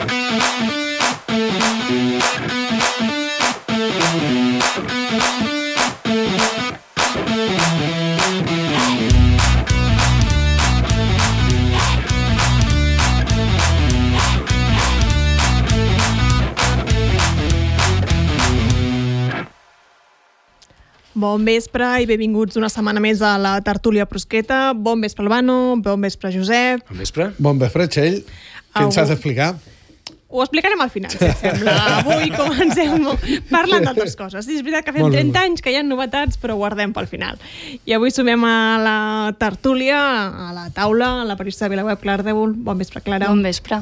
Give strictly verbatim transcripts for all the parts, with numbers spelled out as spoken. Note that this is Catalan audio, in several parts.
Bon vespre i benvinguts una setmana més a la Tertúlia Prosqueta. Bon vespre, Albano. Bon vespre, Josep. Bon vespre. Bon vespre, Txell. Què ens has d'explicar? Ho explicarem al final, si et sembla. Avui comencem parlant d'altres coses. Sí, és veritat que fem trenta anys, que hi ha novetats, però ho guardem pel final. I avui sumem a la tertúlia, a la taula, a la periodista de VilaWeb, Clara Ardèvol. Bon vespre, Clara. Bon vespre.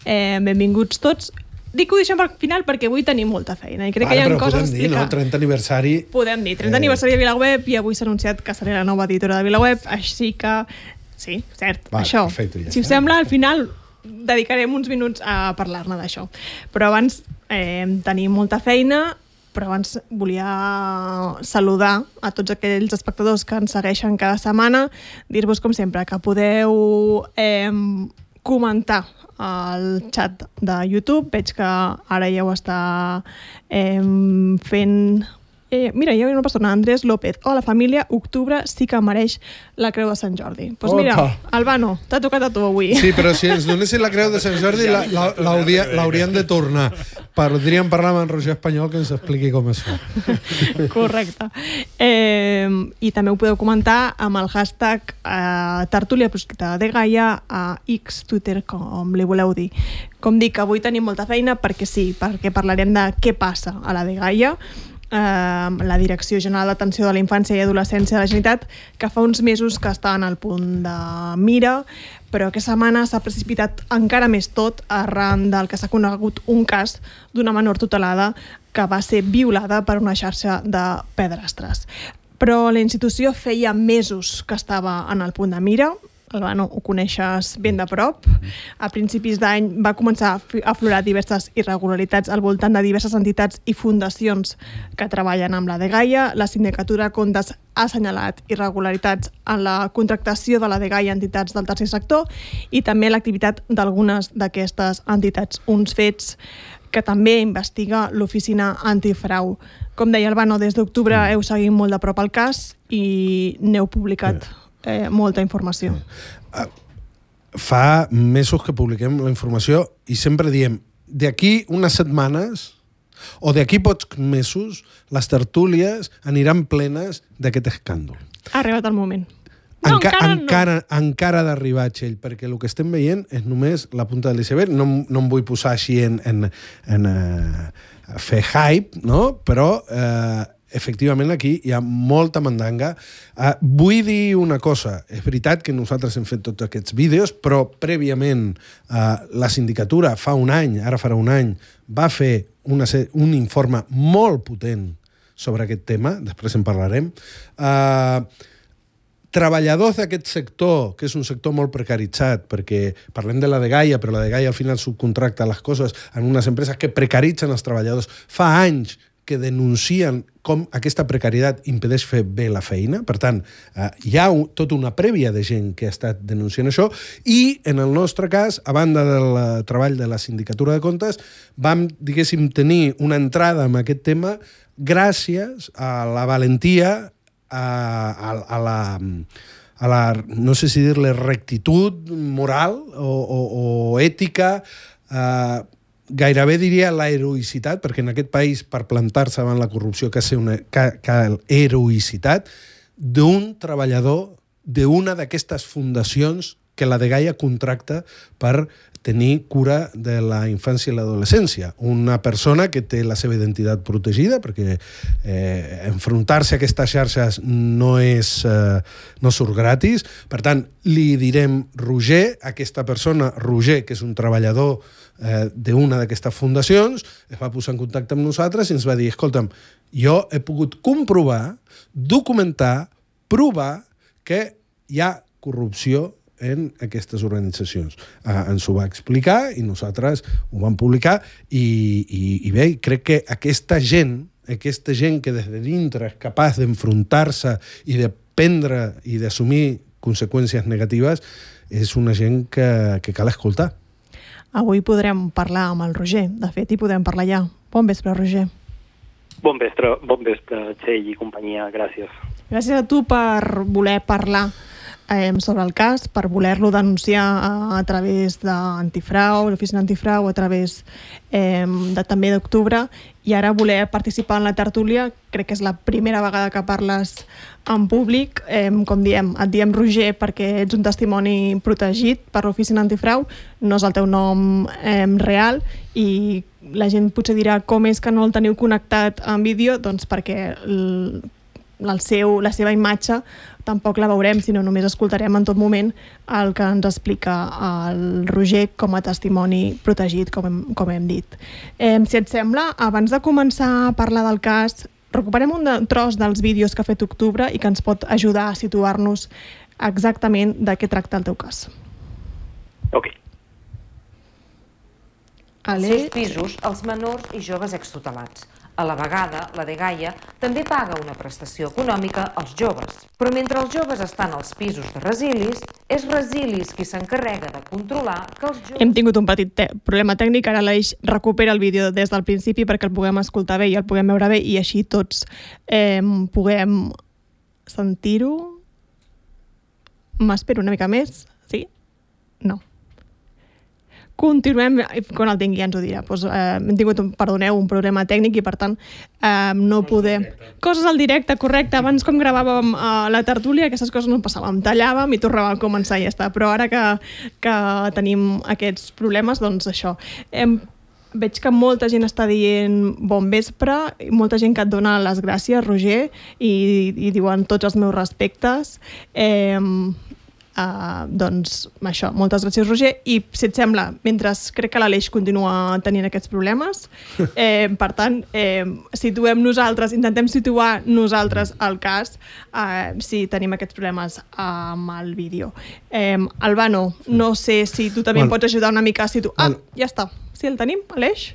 Eh, benvinguts tots. Dic que ho deixem per final perquè avui tenim molta feina i crec Ara, que hi ha però coses a podem dir, explicar. no? trenta aniversari... Podem dir, trenta eh... aniversari de VilaWeb i avui s'ha anunciat que seré la nova editora de VilaWeb, així que... Sí, cert, Va, això. Perfecte, ja si us sembla, al final dedicarem uns minuts a parlar-ne d'això. Però abans eh, tenim molta feina, però abans volia saludar a tots aquells espectadors que ens segueixen cada setmana, dir-vos, com sempre, que podeu eh, comentar al xat de YouTube. Veig que ara ja ho està eh, fent... Eh, mira, hi ha una persona, Andrés López. Hola, família, octubre sí que mereix la Creu de Sant Jordi. Doncs pues mira, Albano, t'ha tocat a tu avui. Sí, però si ens donessin la Creu de Sant Jordi l'haurien de tornar. Podríem parlar amb en Roger Espanyol que ens expliqui com es fa. Correcte. Eh, I també ho podeu comentar amb el hashtag eh, Tertúlia Prosqueta de Gaia a X, Twitter, com li voleu dir. Com dic, avui tenim molta feina perquè sí, perquè parlarem de què passa a la de Gaia, Uh, la Direcció General d'Atenció de la Infància i Adolescència de la Generalitat, que fa uns mesos que està en el punt de mira, però aquesta setmana s'ha precipitat encara més tot arran del que s'ha conegut un cas d'una menor tutelada que va ser violada per una xarxa de pederastres. Però la institució feia mesos que estava en el punt de mira. Albano, ho coneixes ben de prop. A principis d'any va començar a aflorar diverses irregularitats al voltant de diverses entitats i fundacions que treballen amb la de Gaia. La Sindicatura de Comptes ha assenyalat irregularitats en la contractació de la de Gaia a entitats del tercer sector i també l'activitat d'algunes d'aquestes entitats. Uns fets que també investiga l'Oficina Antifrau. Com deia Albano, des d'octubre heu seguit molt de prop el cas i n'heu publicat Eh, molta informació. Fa mesos que publiquem la informació i sempre diem, d'aquí unes setmanes o d'aquí pocs mesos les tertúlies aniran plenes d'aquest escàndol. Ha arribat el moment. No, Enca encara, encara, no. encara ha d'arribar, Txell, perquè el que estem veient és només la punta de l'iceberg. No, no em vull posar així en, en, en uh, fer hype, no? Però uh, efectivament aquí hi ha molta mandanga. Uh, vull dir una cosa, és veritat que nosaltres hem fet tots aquests vídeos, però prèviament uh, la sindicatura fa un any, ara farà un any, va fer una, un informe molt potent sobre aquest tema, després en parlarem. Uh, treballadors d'aquest sector, que és un sector molt precaritzat, perquè parlem de la de Gaia, però la de Gaia al final subcontracta les coses en unes empreses que precaritzen els treballadors. Fa anys que denuncien com aquesta precarietat impedeix fer bé la feina. Per tant, eh, hi ha un, tota una prèvia de gent que ha estat denunciant això i, en el nostre cas, a banda del treball de la Sindicatura de Comptes, vam, diguéssim, tenir una entrada en aquest tema gràcies a la valentia, a, a, a la... a la, no sé si dir-li rectitud moral o, o, o ètica, eh, gairebé diria la heroïcitat, perquè en aquest país per plantar-se davant la corrupció cal ser una cal heroïcitat d'un treballador d'una d'aquestes fundacions que la de Gaia contracta per tenir cura de la infància i l'adolescència. Una persona que té la seva identitat protegida, perquè eh, enfrontar-se a aquestes xarxes no és eh, no surt gratis. Per tant, li direm Roger, aquesta persona, Roger, que és un treballador eh, d'una d'aquestes fundacions, es va posar en contacte amb nosaltres i ens va dir, escolta'm, jo he pogut comprovar, documentar, provar que hi ha corrupció en aquestes organitzacions. Uh, ens ho va explicar i nosaltres ho vam publicar i, i, i bé, crec que aquesta gent, aquesta gent que des de dintre és capaç d'enfrontar-se i de prendre i d'assumir conseqüències negatives, és una gent que, que cal escoltar. avui podrem parlar amb el Roger. De fet, hi podem parlar ja. Bon vespre, Roger. Bon vespre, bon vespre, Txell i companyia, gràcies. Gràcies a tu per voler parlar eh, sobre el cas, per voler-lo denunciar a, a través d'Antifrau, l'oficina Antifrau, a través eh, de també d'octubre, i ara voler participar en la tertúlia. Crec que és la primera vegada que parles en públic. Eh, com diem, et diem Roger perquè ets un testimoni protegit per l'oficina Antifrau, no és el teu nom eh, real, i la gent potser dirà com és que no el teniu connectat en vídeo, doncs perquè el, el seu, la seva imatge tampoc la veurem, sinó només escoltarem en tot moment el que ens explica el Roger com a testimoni protegit, com hem, com hem dit. Eh, si et sembla, abans de començar a parlar del cas, recuperem un de, tros dels vídeos que ha fet Octubre i que ens pot ajudar a situar-nos exactament de què tracta el teu cas. Ok. Als seus pisos, els menors i joves extutelats. A la vegada, la dgaia també paga una prestació econòmica als joves. Però mentre els joves estan als pisos de Resilis, és Resilis qui s'encarrega de controlar que els joves... Hem tingut un petit te- problema tècnic, ara l'Aleix recupera el vídeo des del principi perquè el puguem escoltar bé i el puguem veure bé i així tots eh, puguem sentir-ho. M'espero una mica més, sí? No. Continuem, quan el tingui ja ens ho dirà. Pues, eh, hem tingut, un, perdoneu, un problema tècnic i per tant eh, no podem... Coses al directe, correcte. Abans com gravàvem eh, la tertúlia, aquestes coses no passàvem. Tallàvem i tornàvem a començar i ja està. Però ara que, que tenim aquests problemes, doncs això. Hem, veig que molta gent està dient bon vespre, molta gent que et dona les gràcies, Roger, i, i diuen tots els meus respectes. Eh, Uh, doncs això, moltes gràcies, Roger, i si et sembla, mentre crec que l'Aleix continua tenint aquests problemes, eh, per tant eh, situem nosaltres, intentem situar nosaltres el cas eh, si tenim aquests problemes amb el vídeo. eh, Albano, no sé si tu també bueno, em pots ajudar una mica a situar. Ah, bueno. Ja està, si el tenim, Aleix?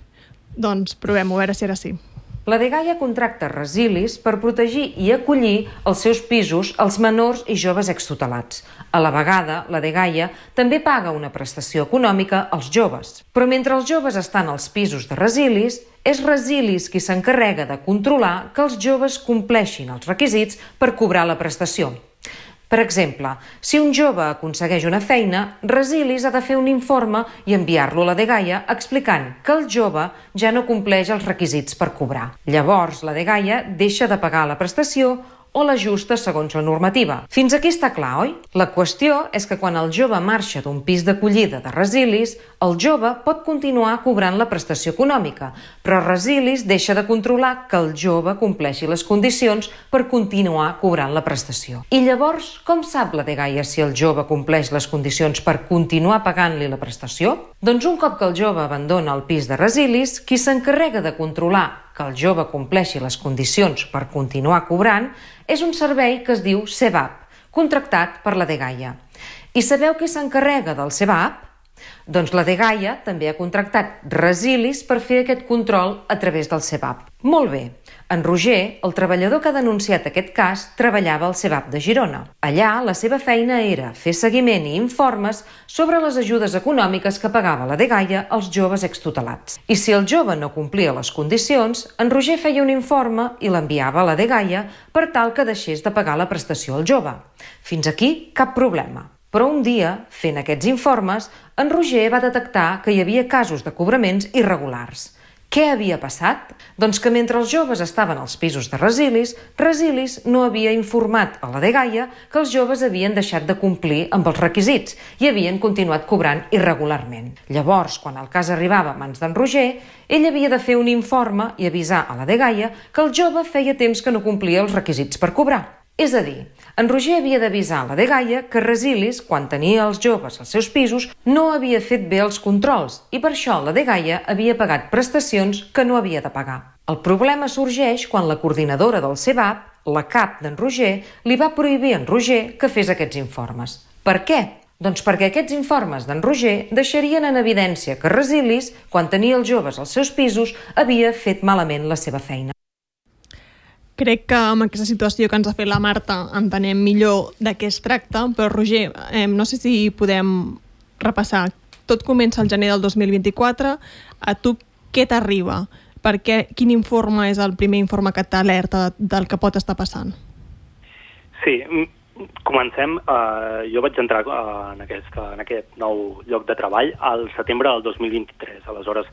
Doncs provem-ho, a veure si era sí. La dgaia contracta Resilis per protegir i acollir als seus pisos els menors i joves extutelats. A la vegada, la dgaia també paga una prestació econòmica als joves. Però mentre els joves estan als pisos de Resilis, és Resilis qui s'encarrega de controlar que els joves compleixin els requisits per cobrar la prestació. Per exemple, si un jove aconsegueix una feina, Resilis ha de fer un informe i enviar-lo a la dgaia explicant que el jove ja no compleix els requisits per cobrar. Llavors, la dgaia deixa de pagar la prestació o l'ajusta segons la normativa. Fins aquí està clar, oi? La qüestió és que quan el jove marxa d'un pis d'acollida de Resilis, el jove pot continuar cobrant la prestació econòmica, però Resilis deixa de controlar que el jove compleixi les condicions per continuar cobrant la prestació. I llavors, com sap la dgaia si el jove compleix les condicions per continuar pagant-li la prestació? Doncs un cop que el jove abandona el pis de Resilis, qui s'encarrega de controlar que el jove compleixi les condicions per continuar cobrant és un servei que es diu S E V A P, contractat per la dgaia. I sabeu qui s'encarrega del S E V A P? Doncs la dgaia també ha contractat Resilis per fer aquest control a través del S E V A P. Molt bé. En Roger, el treballador que ha denunciat aquest cas, treballava al S E V A P de Girona. Allà, la seva feina era fer seguiment i informes sobre les ajudes econòmiques que pagava la dgaia als joves extutelats. I si el jove no complia les condicions, en Roger feia un informe i l'enviava a la dgaia per tal que deixés de pagar la prestació al jove. Fins aquí, cap problema. Però un dia, fent aquests informes, en Roger va detectar que hi havia casos de cobraments irregulars. Què havia passat? Doncs que mentre els joves estaven als pisos de Resilis, Resilis no havia informat a la dgaia que els joves havien deixat de complir amb els requisits i havien continuat cobrant irregularment. Llavors, quan el cas arribava a mans d'en Roger, ell havia de fer un informe i avisar a la dgaia que el jove feia temps que no complia els requisits per cobrar. És a dir, en Roger havia d'avisar a la dgaia que Resilis, quan tenia els joves als seus pisos, no havia fet bé els controls i per això la dgaia havia pagat prestacions que no havia de pagar. El problema sorgeix quan la coordinadora del S E V A P, la cap d'en Roger, li va prohibir a en Roger que fes aquests informes. Per què? Doncs perquè aquests informes d'en Roger deixarien en evidència que Resilis, quan tenia els joves als seus pisos, havia fet malament la seva feina. Crec que amb aquesta situació que ens ha fet la Marta entenem millor de què es tracta, però Roger, eh, no sé si podem repassar tot comença el gener del dos mil vint-i-quatre. A tu què t'arriba? Perquè quin informe és el primer informe que t'alerta del que pot estar passant? Sí, comencem. Uh, jo vaig entrar uh, en, aquest, en aquest nou lloc de treball al setembre del dos mil vint-i-tres. Aleshores,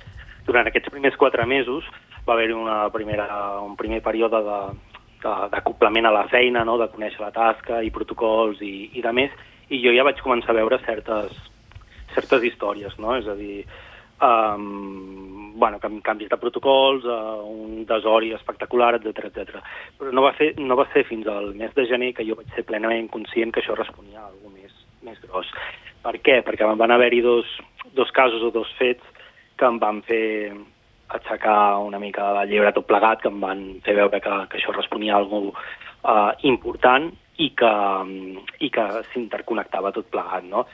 durant aquests primers quatre mesos va haver-hi una primera, un primer període de, de, d'acoplament a la feina, no? De conèixer la tasca i protocols i, i de més, i jo ja vaig començar a veure certes, certes històries, no? És a dir, um, bueno, canvis de protocols, uh, un desori espectacular, etcètera, etcètera. Però no va, fer, no va ser fins al mes de gener que jo vaig ser plenament conscient que això responia a alguna més, més gros. Per què? Perquè van haver-hi dos, dos casos o dos fets que em van fer aixecar una mica de la llebre tot plegat, que em van fer veure que, que això responia a alguna cosa uh, important i que, i que s'interconnectava tot plegat, no?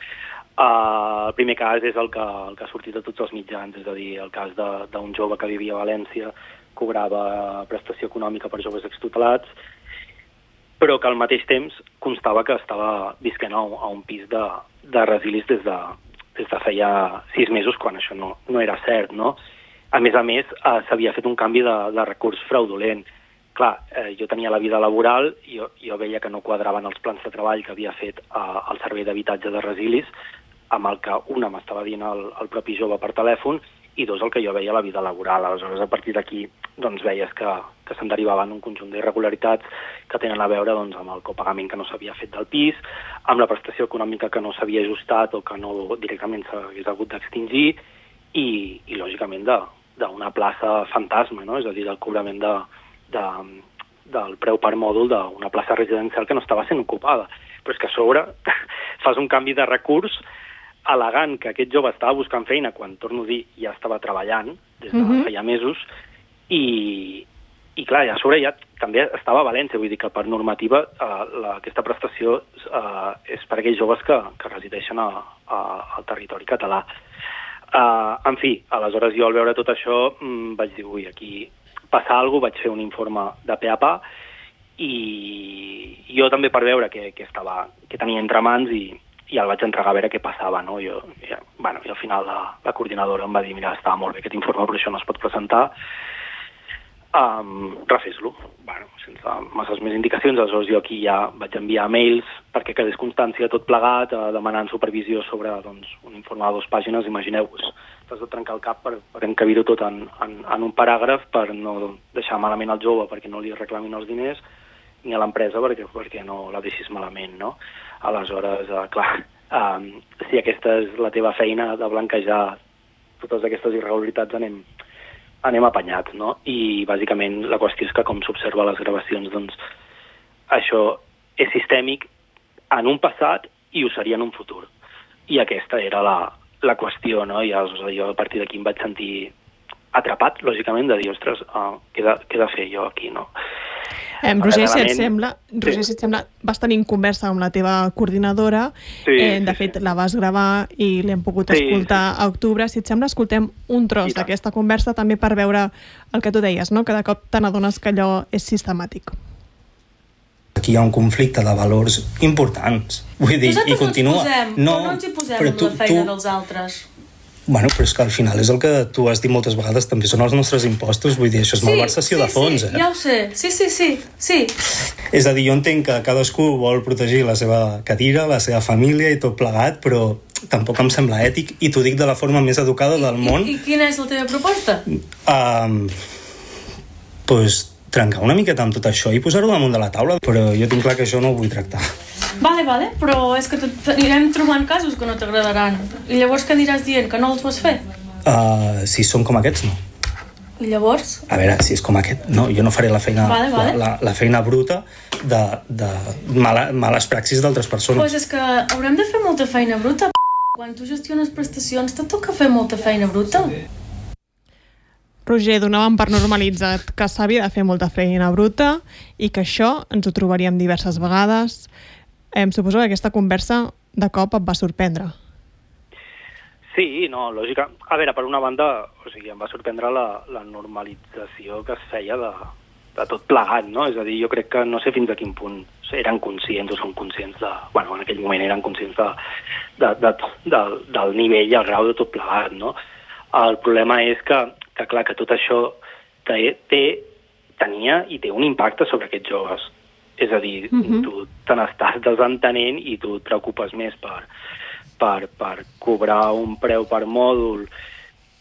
Uh, el primer cas és el que, el que ha sortit a tots els mitjans, és a dir, el cas d'un jove que vivia a València, cobrava prestació econòmica per joves extutelats, però que al mateix temps constava que estava visquent a un, a un pis de, de resilis des de, des de feia sis mesos, quan això no, no era cert, no? A més a més, uh, s'havia fet un canvi de, de recurs fraudulent. Clar, eh, jo tenia la vida laboral, jo, jo veia que no quadraven els plans de treball que havia fet eh, el servei d'habitatge de resilis, amb el que una m'estava dient el, el propi jove per telèfon, i dos, el que jo veia a la vida laboral. Aleshores, a partir d'aquí, doncs, veies que, que se'n derivaven un conjunt d'irregularitats que tenen a veure doncs, amb el copagament que no s'havia fet del pis, amb la prestació econòmica que no s'havia ajustat o que no directament s'hagués hagut d'extingir, i, i lògicament, d'una plaça fantasma, no? És a dir, del cobrament de, de, del preu per mòdul d'una plaça residencial que no estava sent ocupada. Però és que a sobre fas un canvi de recurs al·legant que aquest jove estava buscant feina quan, torno a dir, ja estava treballant des de uh-huh. feia mesos, i, i clar, a sobre ja també estava a València, vull dir que per normativa eh, la, aquesta prestació eh, és per a aquells joves que, que resideixen a, a, al territori català. Eh, en fi, aleshores jo al veure tot això mm, vaig dir, ui, aquí passa alguna cosa, vaig fer un informe de pe a pa, i jo també per veure què, què, estava, què tenia entre mans, i i el vaig entregar a veure què passava, no? Jo, ja, bueno, i al final la, la coordinadora em va dir, mira, estava molt bé aquest informe, però això no es pot presentar, um, refés-lo. Bueno, sense masses més indicacions, aleshores jo aquí ja vaig enviar mails perquè quedés constància tot plegat, eh, demanant supervisió sobre doncs, un informe de dues pàgines, imagineu-vos, t'has de trencar el cap per, per encabir-ho tot en, en, en un paràgraf, per no deixar malament el jove perquè no li reclamin els diners, ni a l'empresa perquè, perquè no la deixis malament, no? Aleshores, eh, clar, eh, si aquesta és la teva feina de blanquejar totes aquestes irregularitats, anem, anem apanyats, no? I bàsicament la qüestió és que, com s'observa a les gravacions, doncs això és sistèmic en un passat i ho seria en un futur. I aquesta era la, la qüestió, no? I aleshores, jo a partir d'aquí em vaig sentir atrapat, lògicament, de dir, ostres, uh, què, he de, què he de fer jo aquí, no? Eh, Roger, si et sembla, Roger, si et sembla, vas tenir conversa amb la teva coordinadora, sí, eh, de sí, fet sí. La vas gravar i l'hem pogut sí, escoltar sí. a octubre. Si et sembla, escoltem un tros d'aquesta conversa també per veure el que tu deies, no? Que de cop te n'adones que allò és sistemàtic. Aquí hi ha un conflicte de valors importants. Vull dir, nosaltres i continua... Nosaltres no ens hi posem, no, no ens hi posem amb tu, la feina tu... dels altres. Bueno, però és que al final és el que tu has dit moltes vegades, també són els nostres impostos, vull dir, això és sí, malversació sí, de fons, sí, eh? Ja ho sé, sí, sí, sí, sí. És a dir, jo entenc que cadascú vol protegir la seva cadira, la seva família i tot plegat, però tampoc em sembla ètic, i t'ho dic de la forma més educada del I, món. I, I quina és la teva proposta? Um, pues trencar una miqueta amb tot això i posar-ho damunt de la taula, però jo tinc clar que això no ho vull tractar. Vale, vale, però és que anirem trobant casos que no t'agradaran. I llavors què aniràs dient? Que no els vols fer? Uh, si són com aquests, no. I llavors? A veure, si és com aquest, no, jo no faré la feina, vale, vale. La, la, la feina bruta de, de mala, males praxis d'altres persones. Pues és que haurem de fer molta feina bruta. Quan tu gestiones prestacions, te toca fer molta feina bruta. Roger, donàvem per normalitzat que s'havia de fer molta feina bruta i que això ens ho trobaríem diverses vegades. Em suposo que aquesta conversa de cop et va sorprendre. Sí, no, lògica. A veure, per una banda, o sigui, em va sorprendre la, la normalització que es feia de, de tot plegat, no? És a dir, jo crec que no sé fins a quin punt eren conscients o són conscients de... Bueno, en aquell moment eren conscients de, de, de, de, del nivell i el grau de tot plegat, no? El problema és que, que clar, que tot això té, té, tenia i té un impacte sobre aquests joves. És a dir, uh-huh. tu te n'estàs desentenent i tu et preocupes més per, per, per cobrar un preu per mòdul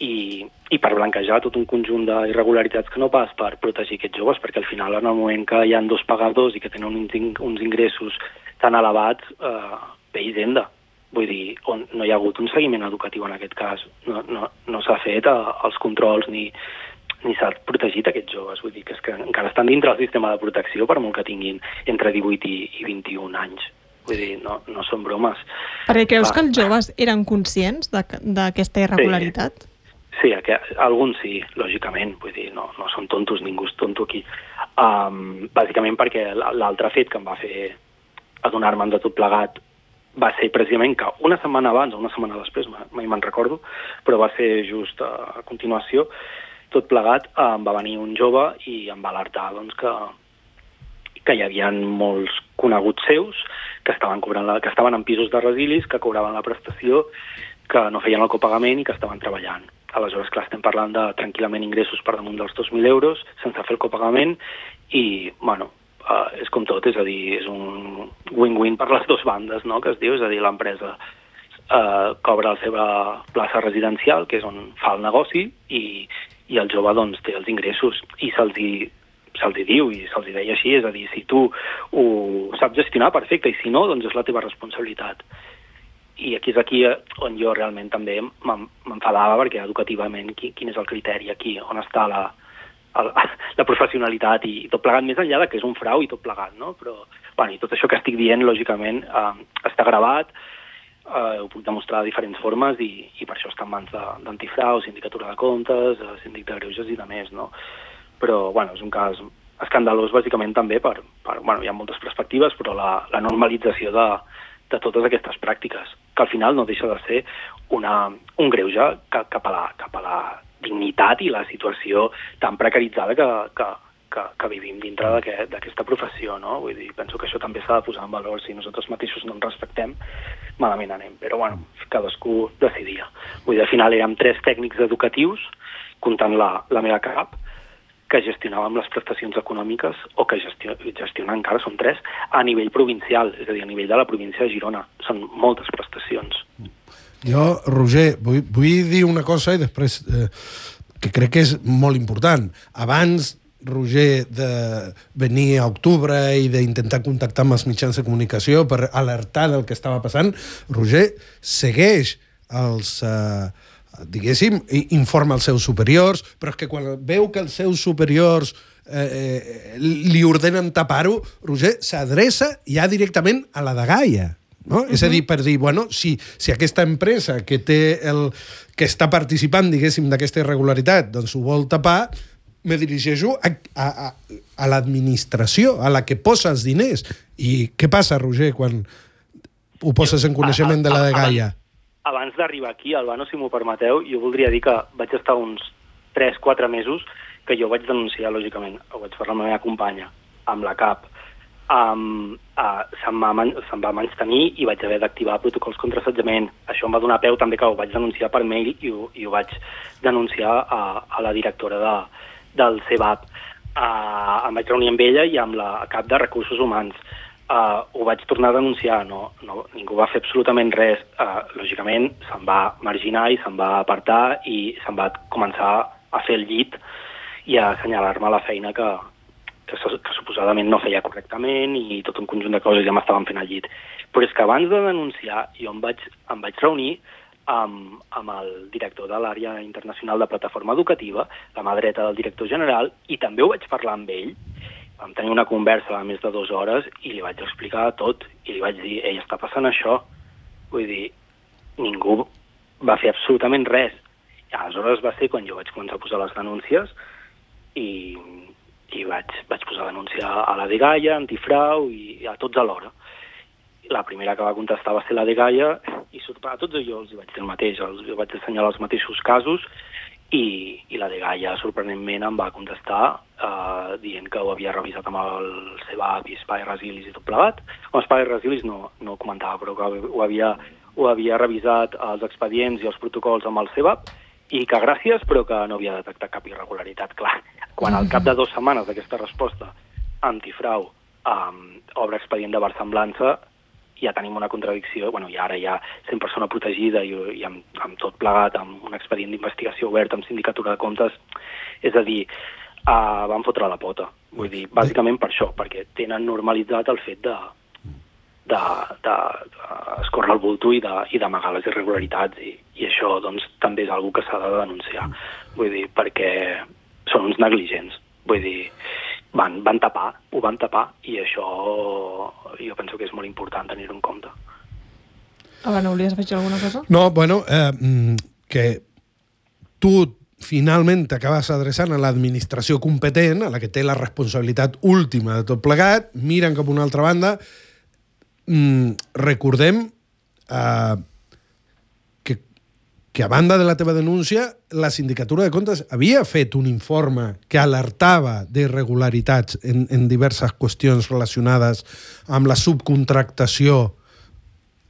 i, i per blanquejar tot un conjunt d'irregularitats que no pas per protegir aquests joves, perquè al final, en el moment que hi ha dos pagadors i que tenen uns, uns ingressos tan elevats, eh, ve Hisenda. Vull dir, on no hi ha hagut un seguiment educatiu en aquest cas. No, no, no s'ha fet eh, els controls ni, ni s'ha protegit aquests joves. Vull dir que, és que encara estan dintre del sistema de protecció per molt que tinguin entre divuit i, i vint-i-un anys. Vull dir, no, no són bromes. Perquè creus Clar. que els joves eren conscients d'aquesta irregularitat? Sí. Sí, que, alguns sí, lògicament, vull dir, no, no són tontos, ningú és tonto aquí. Um, bàsicament perquè l'altre fet que em va fer adonar-me'n de tot plegat va ser precisament que una setmana abans o una setmana després, mai me'n recordo, però va ser just a continuació, tot plegat, em va venir un jove i em va alertar doncs, que, que hi havia molts coneguts seus que estaven, cobrant la, que estaven en pisos de resilis, que cobraven la prestació, que no feien el copagament i que estaven treballant. Aleshores, clar, estem parlant de tranquil·lament ingressos per damunt dels dos mil euros, sense fer el copagament, i, bueno, uh, és com tot, és a dir, és un win-win per les dues bandes, no?, que es diu, és a dir, l'empresa uh, cobra la seva plaça residencial, que és on fa el negoci, i, i el jove, doncs, té els ingressos, i se'ls hi, se'ls hi diu, i se'ls hi deia així, és a dir, si tu ho saps gestionar, perfecte, i si no, doncs és la teva responsabilitat. I aquí és aquí on jo realment també m'enfadava, perquè educativament quin és el criteri aquí, on està la, la, la professionalitat i tot plegat, més enllà de que és un frau i tot plegat, no? Però, bueno, i tot això que estic dient, lògicament, eh, està gravat, eh, ho puc demostrar de diferents formes i, i per això està en mans d'antifrau, sindicatura de comptes, síndic de greuges i de més, no? Però, bueno, és un cas escandalós, bàsicament, també per, per bueno, hi ha moltes perspectives, però la, la normalització de de totes aquestes pràctiques, que al final no deixa de ser una, un greuge cap a, la, cap a la dignitat i la situació tan precaritzada que, que, que, que vivim dintre d'aquesta professió, no? Vull dir, penso que això també s'ha de posar en valor. Si nosaltres mateixos no ens respectem, malament anem. Però, bueno, cadascú decidia. Vull dir, al final érem tres tècnics educatius, comptant la, la meva cap, que gestionàvem les prestacions econòmiques o que gestiona, gestiona encara, són tres, a nivell provincial, és a dir, a nivell de la província de Girona. Són moltes prestacions. Jo, Roger, vull, vull dir una cosa i després eh, que crec que és molt important. Abans, Roger, de venir a octubre i d'intentar contactar amb els mitjans de comunicació per alertar del que estava passant, Roger segueix els... Eh, diguéssim, informa als seus superiors, però és que quan veu que els seus superiors eh, li ordenen tapar-ho, Roger s'adreça ja directament a la dgaia, no? Uh-huh. És a dir, per dir, bueno, si, si aquesta empresa que té el, que està participant, diguéssim, d'aquesta irregularitat, doncs ho vol tapar, me dirigeixo a, a, a, a l'administració, a la que posa els diners. I què passa, Roger, quan ho poses en coneixement de la dgaia? Abans d'arribar aquí, Albano, si m'ho permeteu, jo voldria dir que vaig estar uns tres quatre mesos que jo vaig denunciar, lògicament, ho vaig fer amb la meva companya, amb la C A P. Um, uh, se'm, va man se'm va menystenir i vaig haver d'activar protocols contra assetjament. Això em va donar peu també que ho vaig denunciar per mail i ho, i ho vaig denunciar a, a la directora de, del C E B A P. Uh, em vaig reunir amb ella i amb la cap de Recursos Humans. Uh, ho vaig tornar a denunciar, no, no, ningú va fer absolutament res. Uh, lògicament se'n va marginar i se'n va apartar i se'n va començar a fer el llit i a assenyalar-me la feina que, que, que suposadament no feia correctament i tot un conjunt de coses ja m'estaven fent el llit. Però és que abans de denunciar jo em vaig, em vaig reunir amb, amb el director de l'àrea internacional de plataforma educativa, la mà dreta del director general, i també ho vaig parlar amb ell. Vam tenir una conversa de més de dues hores i li vaig explicar tot. I li vaig dir, ei, està passant això. Vull dir, ningú va fer absolutament res. I aleshores va ser quan jo vaig començar a posar les denúncies i, i vaig, vaig posar a denunciar a la dgaia, antifrau i a tots alhora. La primera que va contestar va ser la dgaia i a tots jo els vaig dir el mateix, els vaig assenyalar els mateixos casos i, i la Dgaia, sorprenentment, em va contestar eh, dient que ho havia revisat amb el C B A P i Espai Resilis i tot plegat. Amb Espai Resilis no, no comentava, però que ho havia, ho havia revisat els expedients i els protocols amb el C B A P i que gràcies, però que no havia detectat cap irregularitat. Clar, quan al cap de dues setmanes d'aquesta resposta antifrau um, obre expedient de versemblança, ja tenim una contradicció, bueno, i ara ja sent persona protegida i, i amb, amb tot plegat, amb un expedient d'investigació obert, amb sindicatura de comptes, és a dir, uh, van fotre la pota. Vull dir, bàsicament per això, perquè tenen normalitzat el fet de, de, de, de escórrer el bulto i d'amagar les irregularitats, i, i això doncs, també és una cosa que s'ha de denunciar. Vull dir, perquè són uns negligents. Vull dir, van, van tapar, ho van tapar, i això jo penso que és molt important tenir-ho en compte. Abans, volies afegir alguna cosa? No, bueno, eh, que tu finalment t'acabes adreçant a l'administració competent, a la que té la responsabilitat última de tot plegat, miren cap a una altra banda. Mm, recordem eh, que, que a banda de la teva denúncia, la Sindicatura de Comptes havia fet un informe que alertava d'irregularitats en, en diverses qüestions relacionades amb la subcontractació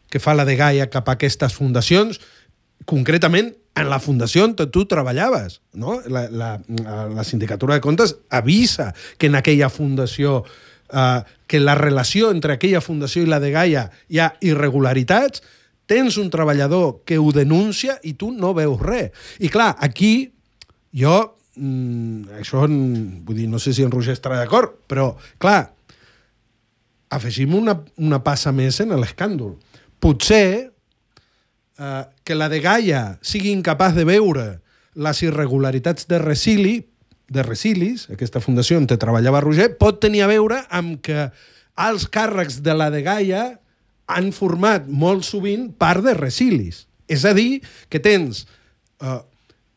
que fa la Dgaia cap a aquestes fundacions, concretament en la fundació on tu treballaves, no? La, la, la Sindicatura de Comptes avisa que en aquella fundació, eh, que la relació entre aquella fundació i la Dgaia hi ha irregularitats, tens un treballador que ho denuncia i tu no veus res. I clar, aquí jo, mmm, això, vull dir, no sé si en Roger estarà d'acord, però clar, afegim una, una passa més en l'escàndol. Potser eh, que la Dgaia sigui incapaç de veure les irregularitats de Resili, de Resilis, aquesta fundació on treballava Roger, pot tenir a veure amb que els càrrecs de la Dgaia han format molt sovint part de Resilis. És a dir, que tens eh,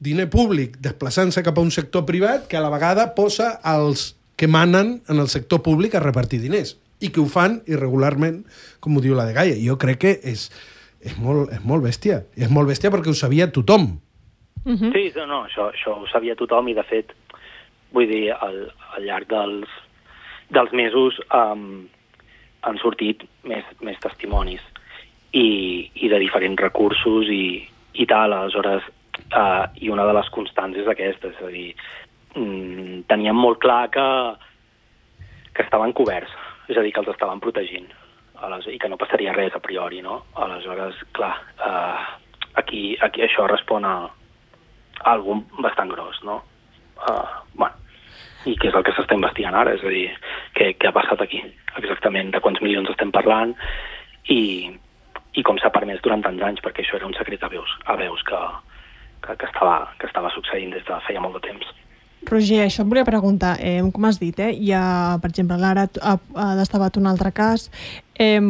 diner públic desplaçant-se cap a un sector privat que a la vegada posa els que manen en el sector públic a repartir diners i que ho fan irregularment, com ho diu la Dgaia. Jo crec que és, és, molt, és molt bèstia. I és molt bèstia perquè ho sabia tothom. Uh-huh. Sí, no, això, això ho sabia tothom i, de fet, vull dir, al, al llarg dels, dels mesos um, han sortit més, més testimonis i, i de diferents recursos i, i tal. Aleshores, uh, i una de les constants és aquesta, és a dir, mm, teníem molt clar que, que estaven coberts, és a dir, que els estaven protegint aleshores, i que no passaria res a priori, no? Aleshores, clar, uh, aquí, aquí això respon a, a algun bastant gros, no? Uh, bueno, i què és el que s'està investigant ara, és a dir, què, què ha passat aquí, exactament, de quants milions estem parlant i, i com s'ha permès durant tants anys, perquè això era un secret a veus, a veus que, que, que, estava, que estava succeint des de feia molt de temps. Roger, això et volia preguntar, eh, com has dit, eh, hi ha, per exemple, l'ara ha, ha destapat un altre cas. Eh,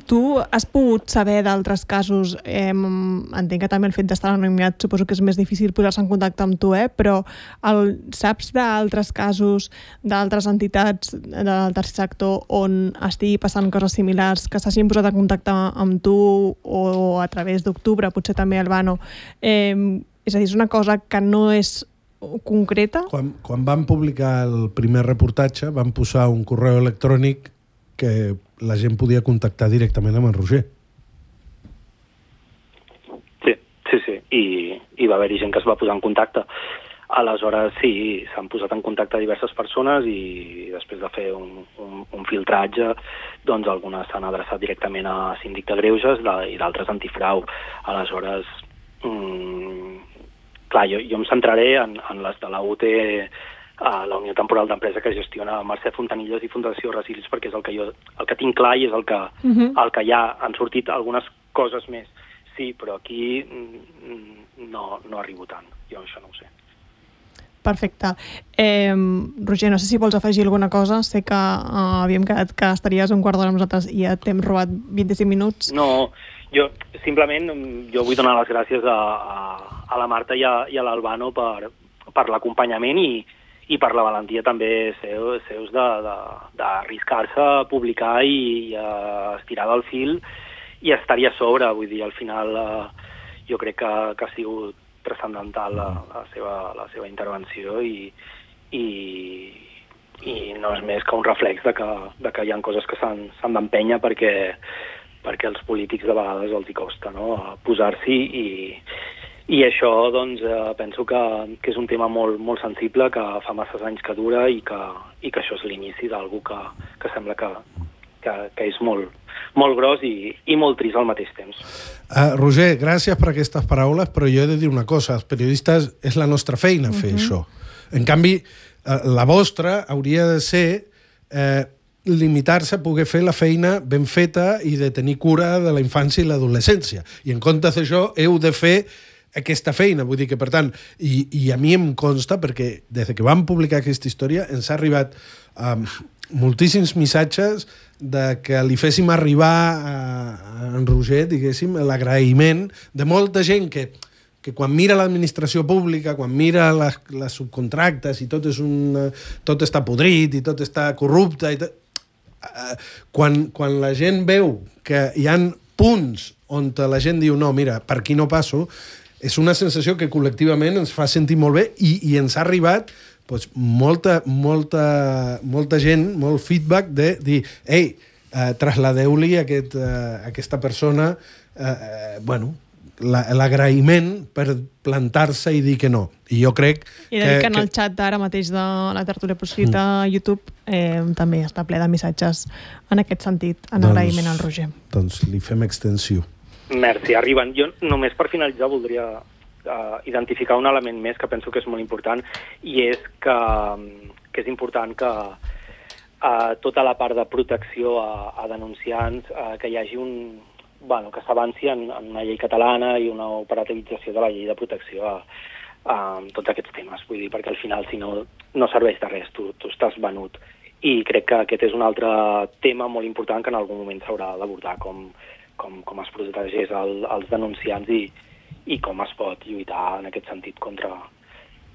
tu has pogut saber d'altres casos, eh, entenc que també el fet d'estar anonimiat suposo que és més difícil posar-se en contacte amb tu, eh, però el, saps d'altres casos, d'altres entitats del tercer sector on estigui passant coses similars, que s'hagin posat en contacte amb tu o a través d'Octubre, potser també Albano? Eh, és a dir, és una cosa que no és concreta? Quan, quan van publicar el primer reportatge van posar un correu electrònic que la gent podia contactar directament amb en Roger. Sí, sí, sí. I, i va haver-hi gent que es va posar en contacte. Aleshores, sí, s'han posat en contacte diverses persones i després de fer un, un, un filtratge, doncs algunes s'han adreçat directament a Síndic de Greuges de, i d'altres antifrau. Aleshores, mmm, clar, jo, jo em centraré en, en les de la U T, a la Unió Temporal d'Empresa que gestiona Mercè Fontanilles i Fundació Resilis, perquè és el que jo el que tinc clar i és el que, uh-huh. el que ja han sortit algunes coses més. Sí, però aquí no, no arribo tant. Jo això no ho sé. Perfecte. Eh, Roger, no sé si vols afegir alguna cosa. Sé que uh, havíem quedat que estaries un quart d'hora amb nosaltres i ja t'hem robat vint-i-cinc minuts. No, jo simplement jo vull donar les gràcies a, a, a la Marta i a, i a l'Albano per, per l'acompanyament i, i per la valentia també seu, seus d'arriscar-se a publicar i, i a estirar del fil i a estar-hi a sobre. Vull dir, al final eh, jo crec que, que ha sigut transcendental la, la, seva, la seva intervenció i, i, i no és més que un reflex de que, de que hi ha coses que s'han d'empènyer perquè, perquè els polítics de vegades els hi costa, no?, posar-s'hi i, i això doncs, eh, penso que, que és un tema molt, molt sensible, que fa masses anys que dura i que, i que això és l'inici d'algú que, que sembla que, que, que és molt, molt gros i, i molt trist al mateix temps. Uh, Roger, gràcies per aquestes paraules, però jo he de dir una cosa, els periodistes és la nostra feina fer uh-huh. això. En canvi, uh, la vostra hauria de ser eh, limitar-se a poder fer la feina ben feta i de tenir cura de la infància i l'adolescència. I en comptes d'això heu de fer aquesta feina, vull dir que, per tant, i, i a mi em consta, perquè des que vam publicar aquesta història ens ha arribat um, moltíssims missatges de que li féssim arribar a, a en Roger, diguéssim, l'agraïment de molta gent que, que quan mira l'administració pública, quan mira les, les subcontractes i tot, és un, tot està podrit i tot està corrupte, i tot, uh, quan, quan la gent veu que hi han punts on la gent diu no, mira, per aquí no passo, és una sensació que col·lectivament ens fa sentir molt bé i, i ens ha arribat doncs, molta, molta, molta gent, molt feedback de dir, ei, eh, trasladeu-li a aquest, eh, aquesta persona eh, eh, bueno, l'agraïment per plantar-se i dir que no. I jo crec I de dir que, que en el xat d'ara mateix de la tertúlia proscrita a YouTube eh, també està ple de missatges en aquest sentit, en doncs, agraïment al Roger. Doncs li fem extensió. Merci, arriben. Jo només per finalitzar voldria uh, identificar un element més que penso que és molt important i és que, que és important que uh, tota la part de protecció a, a denunciants, uh, que hi hagi un... Bueno, que s'avanci en, en una llei catalana i una operativització de la llei de protecció a, a tots aquests temes. Vull dir, perquè al final, si no, no serveix de res, tu, tu estàs venut. I crec que aquest és un altre tema molt important que en algun moment s'haurà d'abordar, com Com, com es protegeix el, els denunciants i, i com es pot lluitar en aquest sentit contra,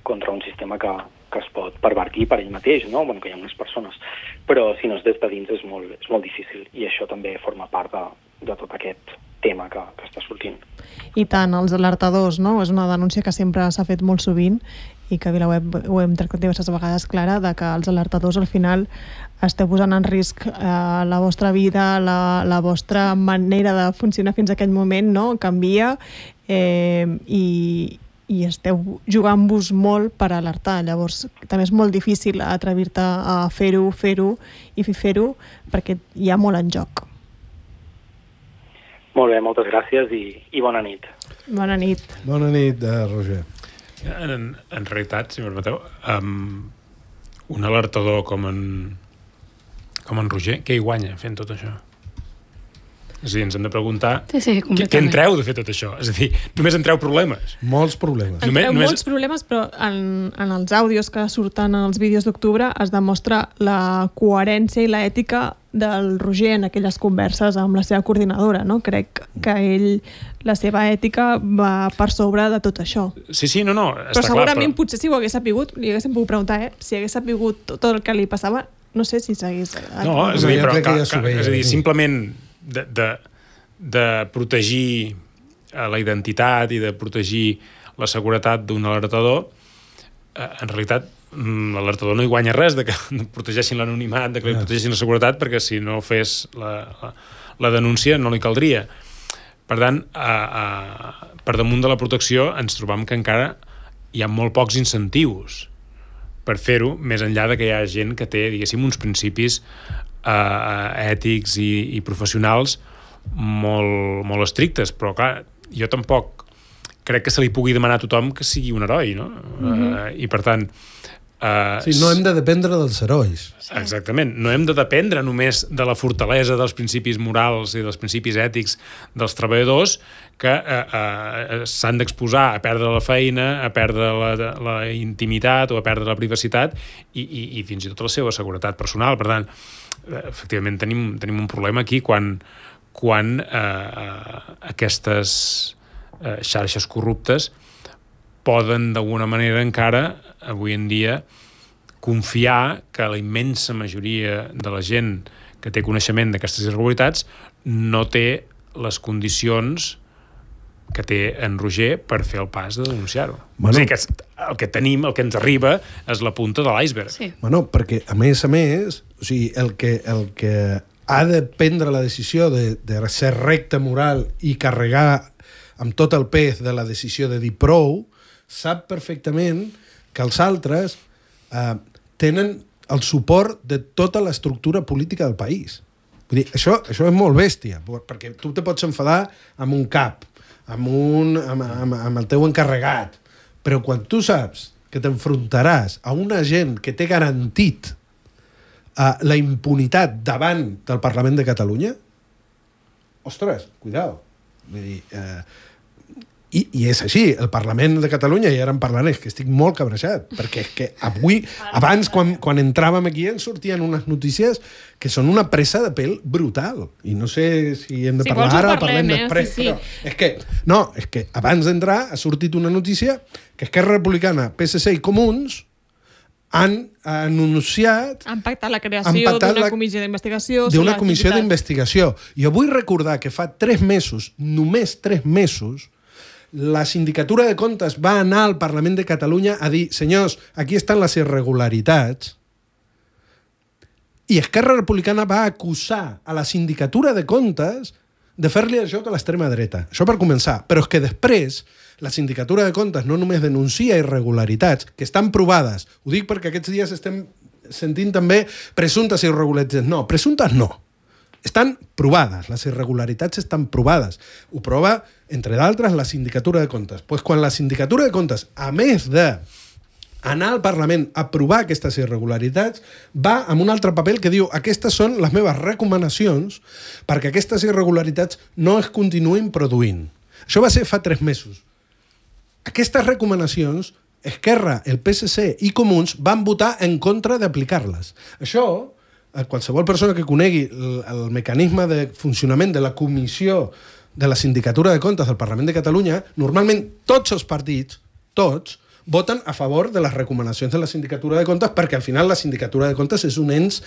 contra un sistema que, que es pot pervertir per ell mateix, no? Bueno, que hi ha unes persones. Però si no és des de dins és molt, és molt difícil i això també forma part de, de tot aquest tema que, que està sortint. I tant, els alertadors, no? És una denúncia que sempre s'ha fet molt sovint i que a VilaWeb ho hem tractat diverses vegades, Clara, de que els alertadors al final esteu posant en risc eh, la vostra vida, la, la vostra manera de funcionar fins a aquell moment, no? Canvia eh, i, i esteu jugant-vos molt per alertar. Llavors, també és molt difícil atrevir-te a fer-ho, fer-ho i fer-ho perquè hi ha molt en joc. Molt bé, moltes gràcies i, i bona nit. Bona nit. Bona nit, eh, Roger. En, en realitat, si m'ho permeteu, um, un alertador com en, com en Roger, què hi guanya fent tot això? És a dir, ens hem de preguntar sí, sí, què, què en treu de fer tot això? És a dir, només en treu problemes. Molts problemes. En només, treu només... molts problemes, però en, en els àudios que surten en els vídeos d'octubre es demostra la coherència i l'ètica del Roger en aquelles converses amb la seva coordinadora, no? Crec que ell, la seva ètica va per sobre de tot això. Sí, sí, no, no, està però segurament clar, però... potser si ho hagués sapigut, li haguéssim pogut preguntar, eh? Si hagués sapigut tot el que li passava, no sé si s'hagués... No, és a dir, però, que, ja que, és a dir, simplement de, de, de protegir la identitat i de protegir la seguretat d'un alertador, en realitat l'alertador no hi guanya res de que protegeixin l'anonimat, de que li protegeixin la seguretat, perquè si no fes la, la, la denúncia no li caldria. Per tant, a, a, per damunt de la protecció ens trobam que encara hi ha molt pocs incentius per fer-ho, més enllà de que hi ha gent que té, diguéssim, uns principis eh, ètics i, i professionals molt, molt estrictes, però clar, jo tampoc crec que se li pugui demanar a tothom que sigui un heroi, no? Mm-hmm. uh, I per tant Uh, sí, no hem de dependre dels herois. Exactament, no hem de dependre només de la fortalesa dels principis morals i dels principis ètics dels treballadors que uh, uh, s'han d'exposar a perdre la feina, a perdre la, la intimitat o a perdre la privacitat i, i, i fins i tot la seva seguretat personal. Per tant, efectivament tenim, tenim un problema aquí quan, quan uh, uh, aquestes uh, xarxes corruptes poden d'alguna manera encara avui en dia confiar que la immensa majoria de la gent que té coneixement d'aquestes irregularitats no té les condicions que té en Roger per fer el pas de denunciar-ho. Bueno. És a dir, que el que tenim, el que ens arriba, és la punta de l'iceberg. Sí. Bueno, perquè, a més a més, o sigui, el que, el que ha de prendre la decisió de, de ser recte moral i carregar amb tot el pes de la decisió de dir prou, sap perfectament que els altres eh, tenen el suport de tota l'estructura política del país. Vull dir, això, això és molt bèstia, perquè tu te pots enfadar amb un cap, amb, un, amb, amb, amb el teu encarregat, però quan tu saps que t'enfrontaràs a una gent que té garantit uh, la impunitat davant del Parlament de Catalunya, ostres, cuidao. Vull dir, uh, i, i és així, el Parlament de Catalunya, i ara en parlaré, és que estic molt cabrejat, perquè és que avui, abans, quan, quan entràvem aquí, ens sortien unes notícies que són una presa de pèl brutal. I no sé si hem de Si parlar vols ho ara o parlem, parlem eh? després, Sí, sí. però és que, no, és que abans d'entrar ha sortit una notícia que Esquerra Republicana, P S C i Comuns han anunciat Han pactat la Han creació pactat d'una la- comissió d'investigació. sobre d'una comissió l'activitat. d'investigació. Jo vull recordar que fa tres mesos, només tres mesos, la Sindicatura de Comptes va anar al Parlament de Catalunya a dir, senyors, aquí estan les irregularitats, i Esquerra Republicana va acusar a la Sindicatura de Comptes de fer-li el joc a l'extrema dreta. Això per començar. Però és que després la Sindicatura de Comptes no només denuncia irregularitats, que estan provades. Ho dic perquè aquests dies estem sentint també presumptes irregularitats. No, presumptes no. Estan provades, les irregularitats estan provades. Ho prova, entre d'altres, la Sindicatura de Comptes. Pues quan la Sindicatura de Comptes, a més de anar al Parlament a provar aquestes irregularitats, va amb un altre paper que diu aquestes són les meves recomanacions perquè aquestes irregularitats no es continuïn produint. Això va ser fa tres mesos. Aquestes recomanacions, Esquerra, el P S C i Comuns van votar en contra d'aplicar-les. Això, qualsevol persona que conegui el, el mecanisme de funcionament de la comissió de la Sindicatura de Comptes del Parlament de Catalunya, normalment tots els partits, tots, voten a favor de les recomanacions de la Sindicatura de Comptes perquè al final la Sindicatura de Comptes és un ens,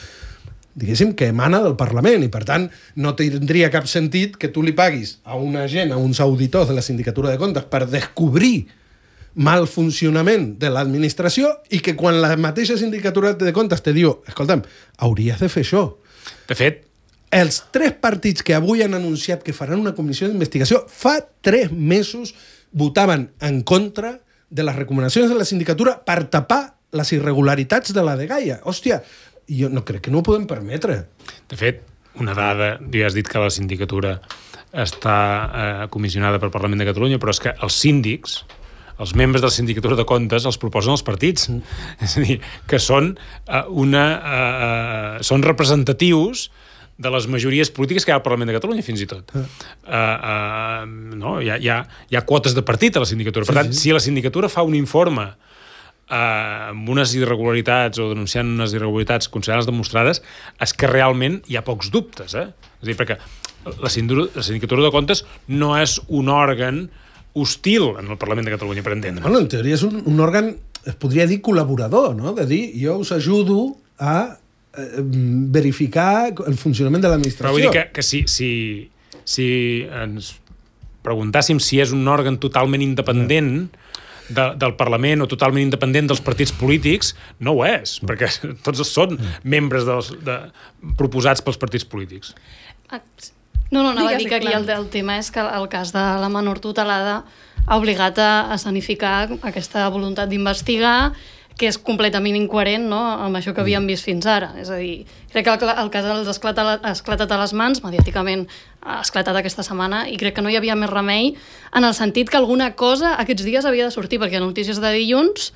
diguéssim, que emana del Parlament i per tant no tindria cap sentit que tu li paguis a una gent, a uns auditors de la Sindicatura de Comptes per descobrir mal funcionament de l'administració i que quan la mateixa Sindicatura de Comptes te diu, escolta'm, hauries de fer això. De fet, Els tres partits que avui han anunciat que faran una comissió d'investigació fa tres mesos votaven en contra de les recomanacions de la sindicatura per tapar les irregularitats de la dgaia. Hòstia, jo no crec que no ho podem permetre. de fet, una dada, ja has dit que la sindicatura està eh, comissionada pel Parlament de Catalunya, però és que els síndics, els membres de la Sindicatura de Comptes els proposen els partits. Mm. És a dir, que són eh, una eh, són representatius de les majories polítiques que hi ha al Parlament de Catalunya, fins i tot. Uh, uh, no? hi, ha, hi, ha, hi ha quotes de partit a la sindicatura. Per tant, sí, sí. si la sindicatura fa un informe uh, amb unes irregularitats o denunciant unes irregularitats considerades demostrades, és que realment hi ha pocs dubtes. Eh? És a dir, perquè la sindicatura, la sindicatura de Comptes no és un òrgan hostil en el Parlament de Catalunya, per entendre. Bueno, en teoria és un, un òrgan, es podria dir col·laborador, no? De dir, jo us ajudo a verificar el funcionament de l'administració. Però vull dir que, que si, si, si ens preguntàssim si és un òrgan totalment independent de, del Parlament o totalment independent dels partits polítics, no ho és, perquè tots són membres dels, de, proposats pels partits polítics. No, no, anava Digues, a dir que aquí el, el tema és que el cas de la menor tutelada ha obligat a escenificar aquesta voluntat d'investigar, que és completament incoherent, no?, amb això que havíem vist fins ara. És a dir, crec que el, el cas els ha esclatat, ha esclatat a les mans, mediàticament ha esclatat aquesta setmana, i crec que no hi havia més remei en el sentit que alguna cosa aquests dies havia de sortir, perquè notícies de dilluns,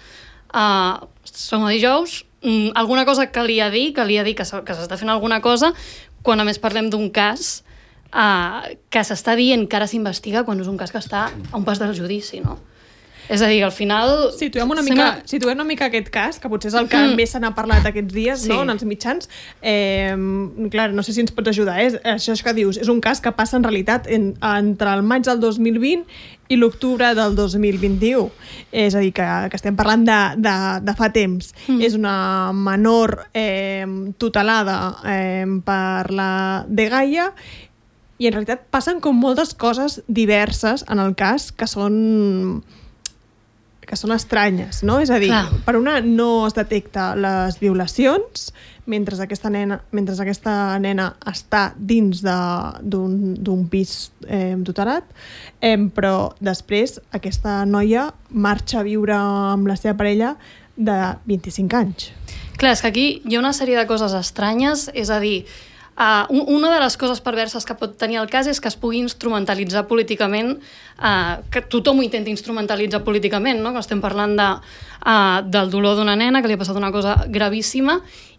uh, som a dijous, um, alguna cosa calia dir, calia dir que s'està fent alguna cosa, quan a més parlem d'un cas uh, que s'està dient que ara s'investiga quan és un cas que està a un pas del judici, no? És a dir, al final... Situem una mica, sembla... situem una mica aquest cas, que potser és el que mm. més se n'ha parlat aquests dies, sí. no?, en els mitjans. Eh, clar, no sé si ens pots ajudar. Eh? Això que dius, és un cas que passa en realitat en, entre el maig del dos mil vint i l'octubre del dos mil vint-i-u. És a dir, que, que estem parlant de, de, de fa temps. Mm. És una menor eh, tutelada eh, per la dgaia i en realitat passen com moltes coses diverses en el cas que són que són estranyes, no? És a dir, Clar. per una no es detecta les violacions mentre aquesta nena, mentre aquesta nena està dins d'un pis eh, tutelat, eh, però després aquesta noia marxa a viure amb la seva parella de vint-i-cinc anys. Clar, és que aquí hi ha una sèrie de coses estranyes, és a dir, Uh, una de les coses perverses que pot tenir el cas és que es pugui instrumentalitzar políticament, uh, que tothom ho intenti instrumentalitzar políticament, no? Que estem parlant de, uh, del dolor d'una nena que li ha passat una cosa gravíssima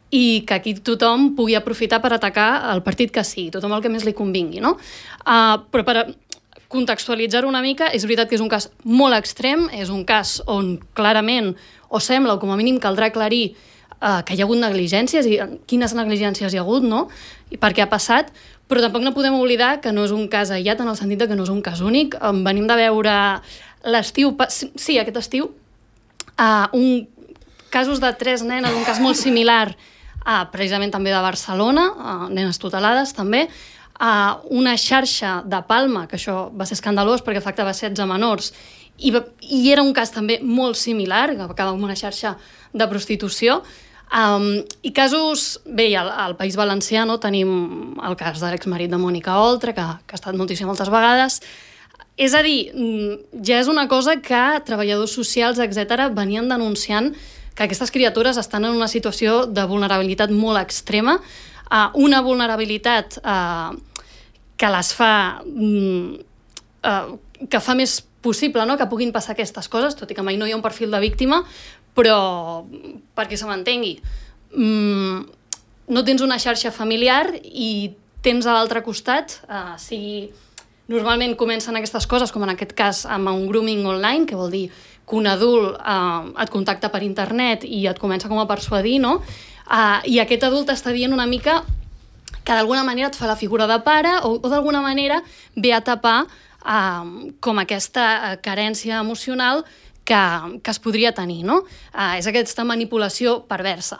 i que aquí tothom pugui aprofitar per atacar el partit que sigui, tothom el que més li convingui, no? Uh, però per contextualitzar-ho una mica, és veritat que és un cas molt extrem, és un cas on clarament, o sembla, o com a mínim caldrà aclarir Uh, que hi ha hagut negligències i quines negligències hi ha hagut, no? I per què ha passat, però tampoc no podem oblidar que no és un cas aïllat en el sentit de que no és un cas únic. Um, venim de veure l'estiu, sí, aquest estiu, uh, un, casos de tres nenes, un cas molt similar, uh, precisament també de Barcelona, uh, nenes tutelades també, uh, una xarxa de Palma, que això va ser escandalós perquè afectava setze menors, i, i era un cas també molt similar, que va acabar amb una xarxa de prostitució. Um, I casos, bé, al, al País Valencià no, tenim el cas de l'exmarit de Mònica Oltra, que, que ha estat notícia moltes vegades. És a dir, ja és una cosa que treballadors socials, etcètera, venien denunciant que aquestes criatures estan en una situació de vulnerabilitat molt extrema, uh, una vulnerabilitat uh, que les fa... Um, uh, que fa més possible, no?, que puguin passar aquestes coses, tot i que mai no hi ha un perfil de víctima, però perquè se m'entengui, mmm, no tens una xarxa familiar i tens a l'altre costat, eh, si normalment comencen aquestes coses, com en aquest cas amb un grooming online, que vol dir que un adult eh, et contacta per internet i et comença com a persuadir, no? Eh, I aquest adult t'està dient una mica que d'alguna manera et fa la figura de pare o, o d'alguna manera ve a tapar eh, com aquesta carència emocional que, que es podria tenir, no? Uh, és aquesta manipulació perversa.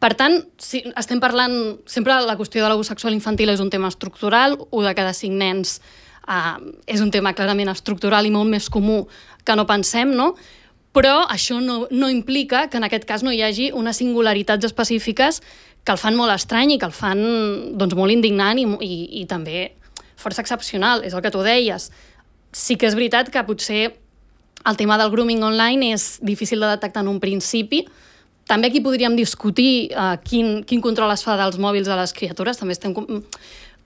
Per tant, si estem parlant... Sempre la qüestió de l'abús sexual infantil és un tema estructural, un de cada cinc nens uh, és un tema clarament estructural i molt més comú que no pensem, no? Però això no, no implica que en aquest cas no hi hagi unes singularitats específiques que el fan molt estrany i que el fan doncs, molt indignant i, i, i també força excepcional, és el que tu deies. Sí que és veritat que potser el tema del grooming online és difícil de detectar en un principi. També aquí podríem discutir uh, quin, quin control es fa dels mòbils a les criatures. També estem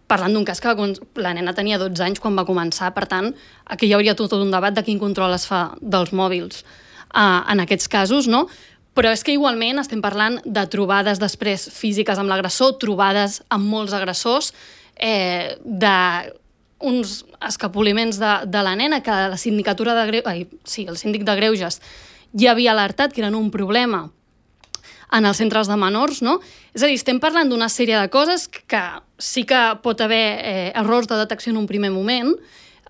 parlant d'un cas que la nena tenia dotze anys quan va començar, per tant, aquí hi hauria tot un debat de quin control es fa dels mòbils uh, en aquests casos, no? Però és que igualment estem parlant de trobades després físiques amb l'agressor, trobades amb molts agressors, eh, de... uns escapoliments de, de la nena que la sindicatura de Greuges, ai, sí, el síndic de Greuges ja havia alertat que eren un problema en els centres de menors, no? És a dir, estem parlant d'una sèrie de coses que sí que pot haver eh, errors de detecció en un primer moment,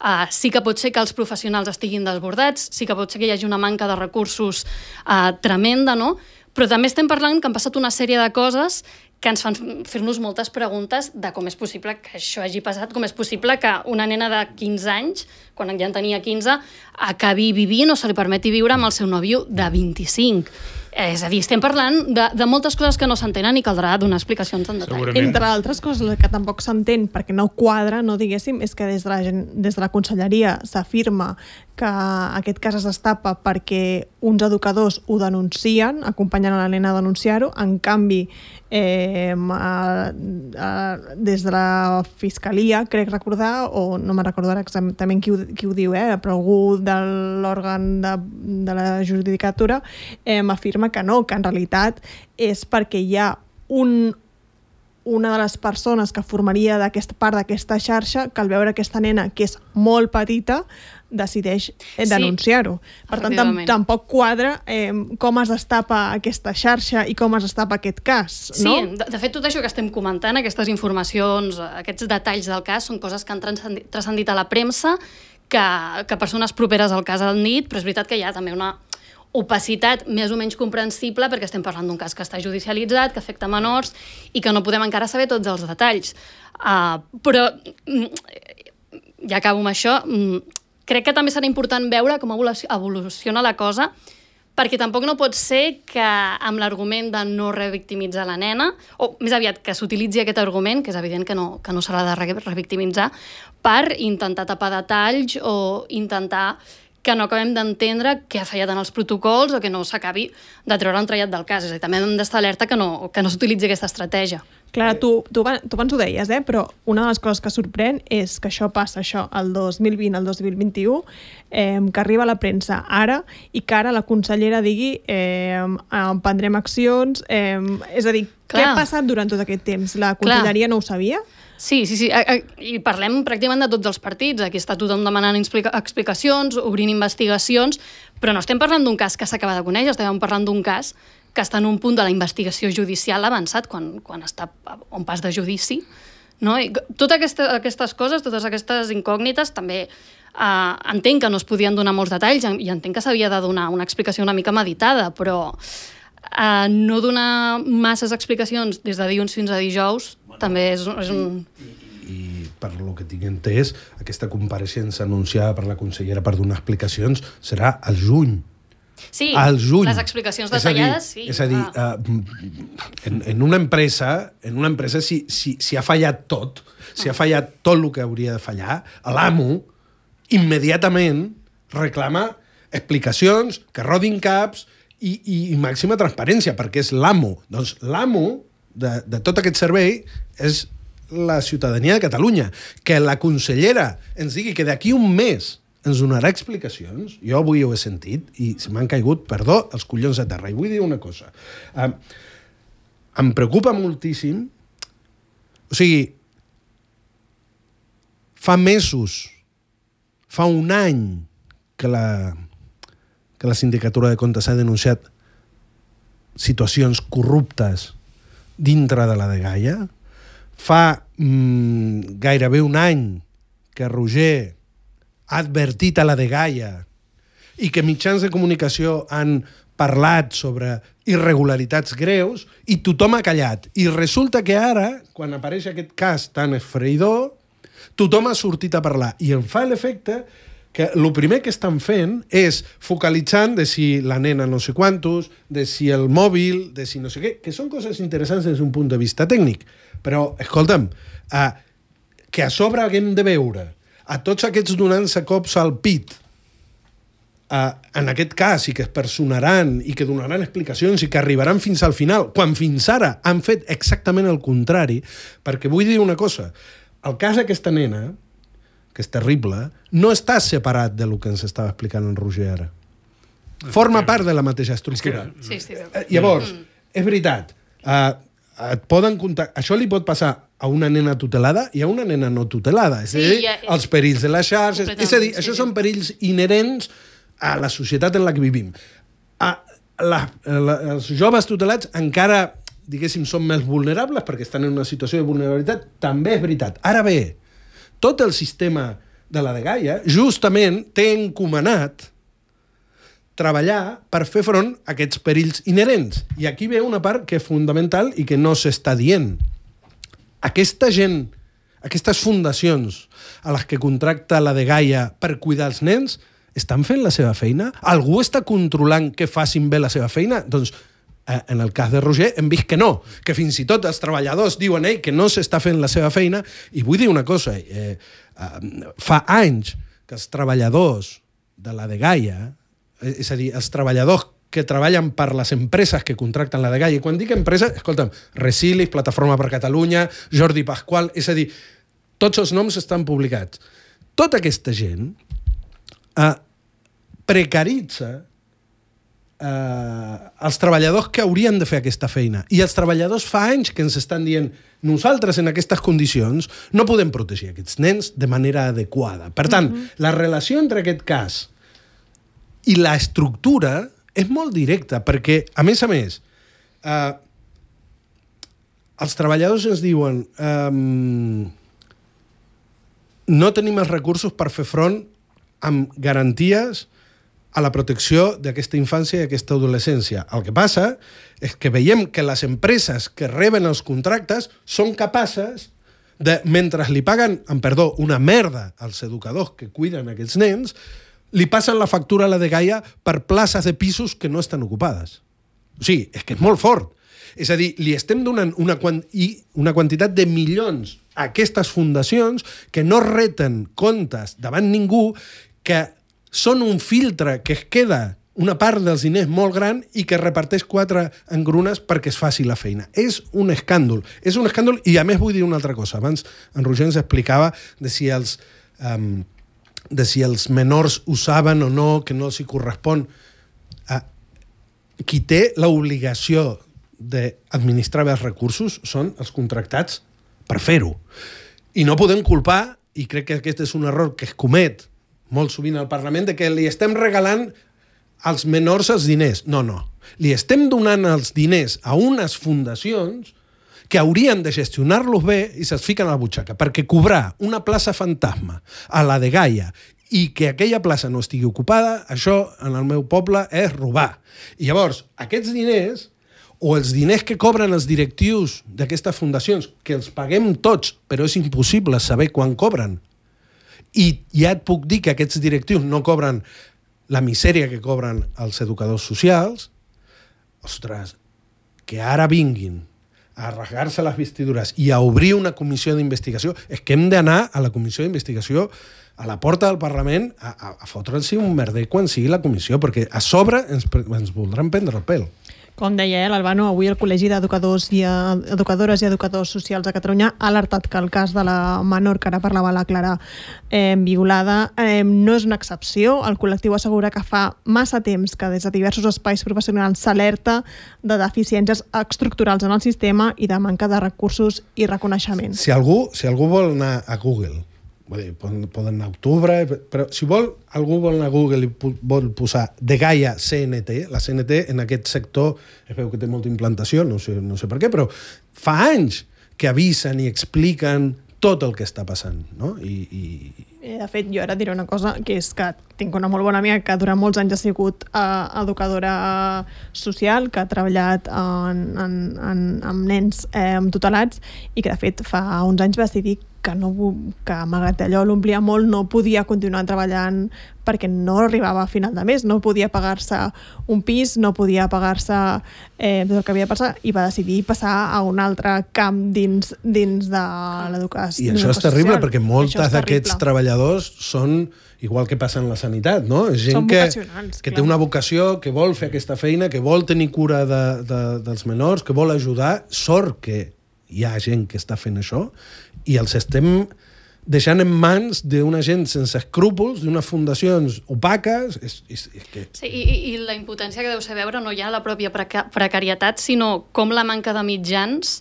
eh, sí que pot ser que els professionals estiguin desbordats, sí que pot ser que hi hagi una manca de recursos eh, tremenda, no? Però també estem parlant que han passat una sèrie de coses que ens fan fer-nos moltes preguntes de com és possible que això hagi passat, com és possible que una nena de quinze anys, quan ja en tenia quinze, acabi vivint o se li permeti viure amb el seu nòvio de vint-i-cinc. És a dir, estem parlant de, de moltes coses que no s'entenen i caldrà donar explicacions en detall. Segurament. Entre altres coses que tampoc s'entén perquè no quadra, no diguéssim, és que des de la, des de la conselleria s'afirma que aquest cas es destapa perquè uns educadors ho denuncien, acompanyen a la nena a denunciar-ho, en canvi eh, a, a, des de la Fiscalia, crec recordar, o no me'n recordo ara exactament qui ho, qui ho diu, eh, però algú de l'òrgan de, de la judicatura eh, m'afirma que no, que en realitat és perquè hi ha un, una de les persones que formaria d'aquesta part d'aquesta xarxa que al veure aquesta nena, que és molt petita, decideix eh, denunciar-ho. Sí, per tant, tam tampoc quadra eh, com es destapa aquesta xarxa i com es destapa aquest cas, no? Sí, de, de fet, tot això que estem comentant, aquestes informacions, aquests detalls del cas, són coses que han transcendit, transcendit a la premsa, que, que persones properes al cas han dit, però és veritat que hi ha també una, opacitat més o menys comprensible perquè estem parlant d'un cas que està judicialitzat, que afecta menors i que no podem encara saber tots els detalls. Uh, però, ja acabo amb això, crec que també serà important veure com evoluciona la cosa, perquè tampoc no pot ser que amb l'argument de no revictimitzar la nena, o més aviat que s'utilitzi aquest argument, que és evident que no, que no s'ha de revictimitzar, per intentar tapar detalls o intentar que no acabem d'entendre què ha fallat en els protocols o que no s'acabi de treure l'entrellat del cas. És a dir, també hem d'estar alerta que no, que no s'utilitzi aquesta estratègia. Clara, tu, tu, tu abans ho deies, eh? Però una de les coses que sorprèn és que això passa, això, el dos mil vint al dos mil vint-i-u, eh, que arriba a la premsa ara i que ara la consellera digui eh, prendrem accions... Eh, és a dir, Clar. Què ha passat durant tot aquest temps? La conselleria Clar. No ho sabia? Sí, sí, sí. I parlem pràcticament de tots els partits. Aquí està tothom demanant explicacions, obrint investigacions, però no estem parlant d'un cas que s'acaba de conèixer, estem parlant d'un cas que està en un punt de la investigació judicial avançat, quan, quan està a un pas de judici. No? I totes aquesta, aquestes coses, totes aquestes incògnites, també eh, entenc que no es podien donar molts detalls i entenc que s'havia de donar una explicació una mica meditada, però eh, no donar masses explicacions des de dilluns fins a dijous bueno, també és, és un... I, i, I per lo que tinc entès, aquesta compareixença anunciada per la consellera per donar explicacions serà al juny. Sí, al juny. Les explicacions detallades, sí. És a dir, ah. uh, en, en una empresa, en una empresa si, si, si ha fallat tot, si ha fallat tot el que hauria de fallar, l'amo immediatament reclama explicacions, que rodin caps i, i, i màxima transparència, perquè és l'amo. Doncs l'amo de, de tot aquest servei és la ciutadania de Catalunya. Que la consellera ens digui que d'aquí un mes ens donarà explicacions. Jo avui ho he sentit i se m'han caigut, perdó, els collons a terra. I vull dir una cosa. Uh, em preocupa moltíssim. O sigui, fa mesos, fa un any que la, que la Sindicatura de Comptes ha denunciat situacions corruptes dintre de la dgaia. Fa mm, gairebé un any que Roger ha advertit a la dgaia i que mitjans de comunicació han parlat sobre irregularitats greus i tothom ha callat. I resulta que ara, quan apareix aquest cas tan esfreïdor, tothom ha sortit a parlar. I em fa l'efecte que el primer que estan fent és focalitzant de si la nena no sé quantos, de si el mòbil, de si no sé què, que són coses interessants des d'un punt de vista tècnic. Però, escolta'm, eh, que a sobre haguem de veure a tots aquests donant-se cops al pit, uh, en aquest cas, i que es personaran i que donaran explicacions i que arribaran fins al final, quan fins ara han fet exactament el contrari, perquè vull dir una cosa, el cas d'aquesta nena, que és terrible, no està separat de lo que ens estava explicant en Roger ara. Forma part de la mateixa estructura. Sí, sí, sí. Uh, llavors, mm. és veritat, uh, et poden comptar, això li pot passar a una nena tutelada i a una nena no tutelada. És sí, a dir, ja, els perills de les xarxes... És a dir, sí, això sí. Són perills inherents a la societat en la que vivim. A la, a la, els joves tutelats encara, diguéssim, són més vulnerables perquè estan en una situació de vulnerabilitat. També és veritat. Ara bé, tot el sistema de la dgaia justament té encomanat treballar per fer front a aquests perills inherents. I aquí ve una part que és fundamental i que no s'està dient. Aquesta gent, aquestes fundacions a les que contracta la dgaia per cuidar els nens, estan fent la seva feina? Algú està controlant que facin bé la seva feina? Doncs, eh, en el cas de Roger, hem vist que no, que fins i tot els treballadors diuen ell que no s'està fent la seva feina. I vull dir una cosa, eh, eh, fa anys que els treballadors de la dgaia, és a dir, els treballadors que treballen per les empreses que contracten la dgaia, i quan dic empresa, escolta'm, Resilis, Plataforma per Catalunya, Jordi Pasqual, és a dir, tots els noms estan publicats. Tota aquesta gent eh, precaritza eh, els treballadors que haurien de fer aquesta feina. I els treballadors fa anys que ens estan dient nosaltres en aquestes condicions no podem protegir aquests nens de manera adequada. Per tant, mm-hmm. la relació entre aquest cas i la estructura és molt directa, perquè, a més a més, eh, els treballadors ens diuen eh, no tenim els recursos per fer front amb garanties a la protecció d'aquesta infància i aquesta adolescència. El que passa és que veiem que les empreses que reben els contractes són capaces de, mentre li paguen, amb perdó, una merda als educadors que cuiden aquests nens, li passen la factura a la dgaia per places de pisos que no estan ocupades. O sigui, és que és molt fort. És a dir, li estem donant una, quant i una quantitat de milions a aquestes fundacions que no reten comptes davant ningú, que són un filtre que es queda una part dels diners molt gran i que reparteix quatre engrunes perquè es faci la feina. És un escàndol. És un escàndol i a més vull dir una altra cosa. Abans en Roger ens explicava de si els... Um, de si els menors ho saben o no, que no els hi correspon. Uh, qui té l'obligació d'administrar bé els recursos són els contractats per fer-ho. I no podem culpar, i crec que aquest és un error que es comet molt sovint al Parlament, de que li estem regalant als menors els diners. No, no. Li estem donant els diners a unes fundacions que haurien de gestionar-los bé i se'ls fiquen a la butxaca, perquè cobrar una plaça fantasma a la dgaia i que aquella plaça no estigui ocupada, això en el meu poble és robar. I llavors, aquests diners, o els diners que cobren els directius d'aquestes fundacions, que els paguem tots, però és impossible saber quan cobren, i ja et puc dir que aquests directius no cobren la misèria que cobren els educadors socials, ostres, que ara vinguin a rasgar-se les vestidures i a obrir una comissió d'investigació, és que hem d'anar a la comissió d'investigació a la porta del Parlament a, a, a fotre'ls un merder quan sigui la comissió, perquè a sobre ens, ens voldran prendre el pèl. Com deia eh, l'Albano, avui el Col·legi d'Educadors i Educadores i Educadors Socials de Catalunya ha alertat que el cas de la menor que ara parlava la Clara eh, violada eh, no és una excepció. El col·lectiu assegura que fa massa temps que des de diversos espais professionals s'alerta de deficiències estructurals en el sistema i de manca de recursos i reconeixement. Si algú, si algú vol anar a Google, vull dir, poden, poden anar a octubre, però si vol, algú vol anar a Google i vol posar dgaia C N T, la C N T en aquest sector es veu que té molta implantació, no sé, no sé per què, però fa anys que avisen i expliquen tot el que està passant, no? I, i... De fet, jo ara diré una cosa, que és que tinc una molt bona amiga que durant molts anys ha sigut uh, educadora social, que ha treballat en, en, en, amb nens eh, tutelats i que, de fet, fa uns anys va decidir que, no, que malgrat allò l'omplia molt, no podia continuar treballant perquè no arribava a final de mes, no podia pagar-se un pis, no podia pagar-se eh, tot el que havia de passar, i va decidir passar a un altre camp dins, dins de l'educació. I això és terrible, perquè moltes d'aquests treballadors són, igual que passa en la sanitat, no? És gent que, que té una vocació, que vol fer aquesta feina, que vol tenir cura de, de, dels menors, que vol ajudar. Sort que hi ha gent que està fent això i els estem deixant en mans d'una gent sense escrúpols, d'unes fundacions opaques. És, és, és que... Sí, i, i la impotència que deu ser veure no ja la pròpia preca precarietat, sinó com la manca de mitjans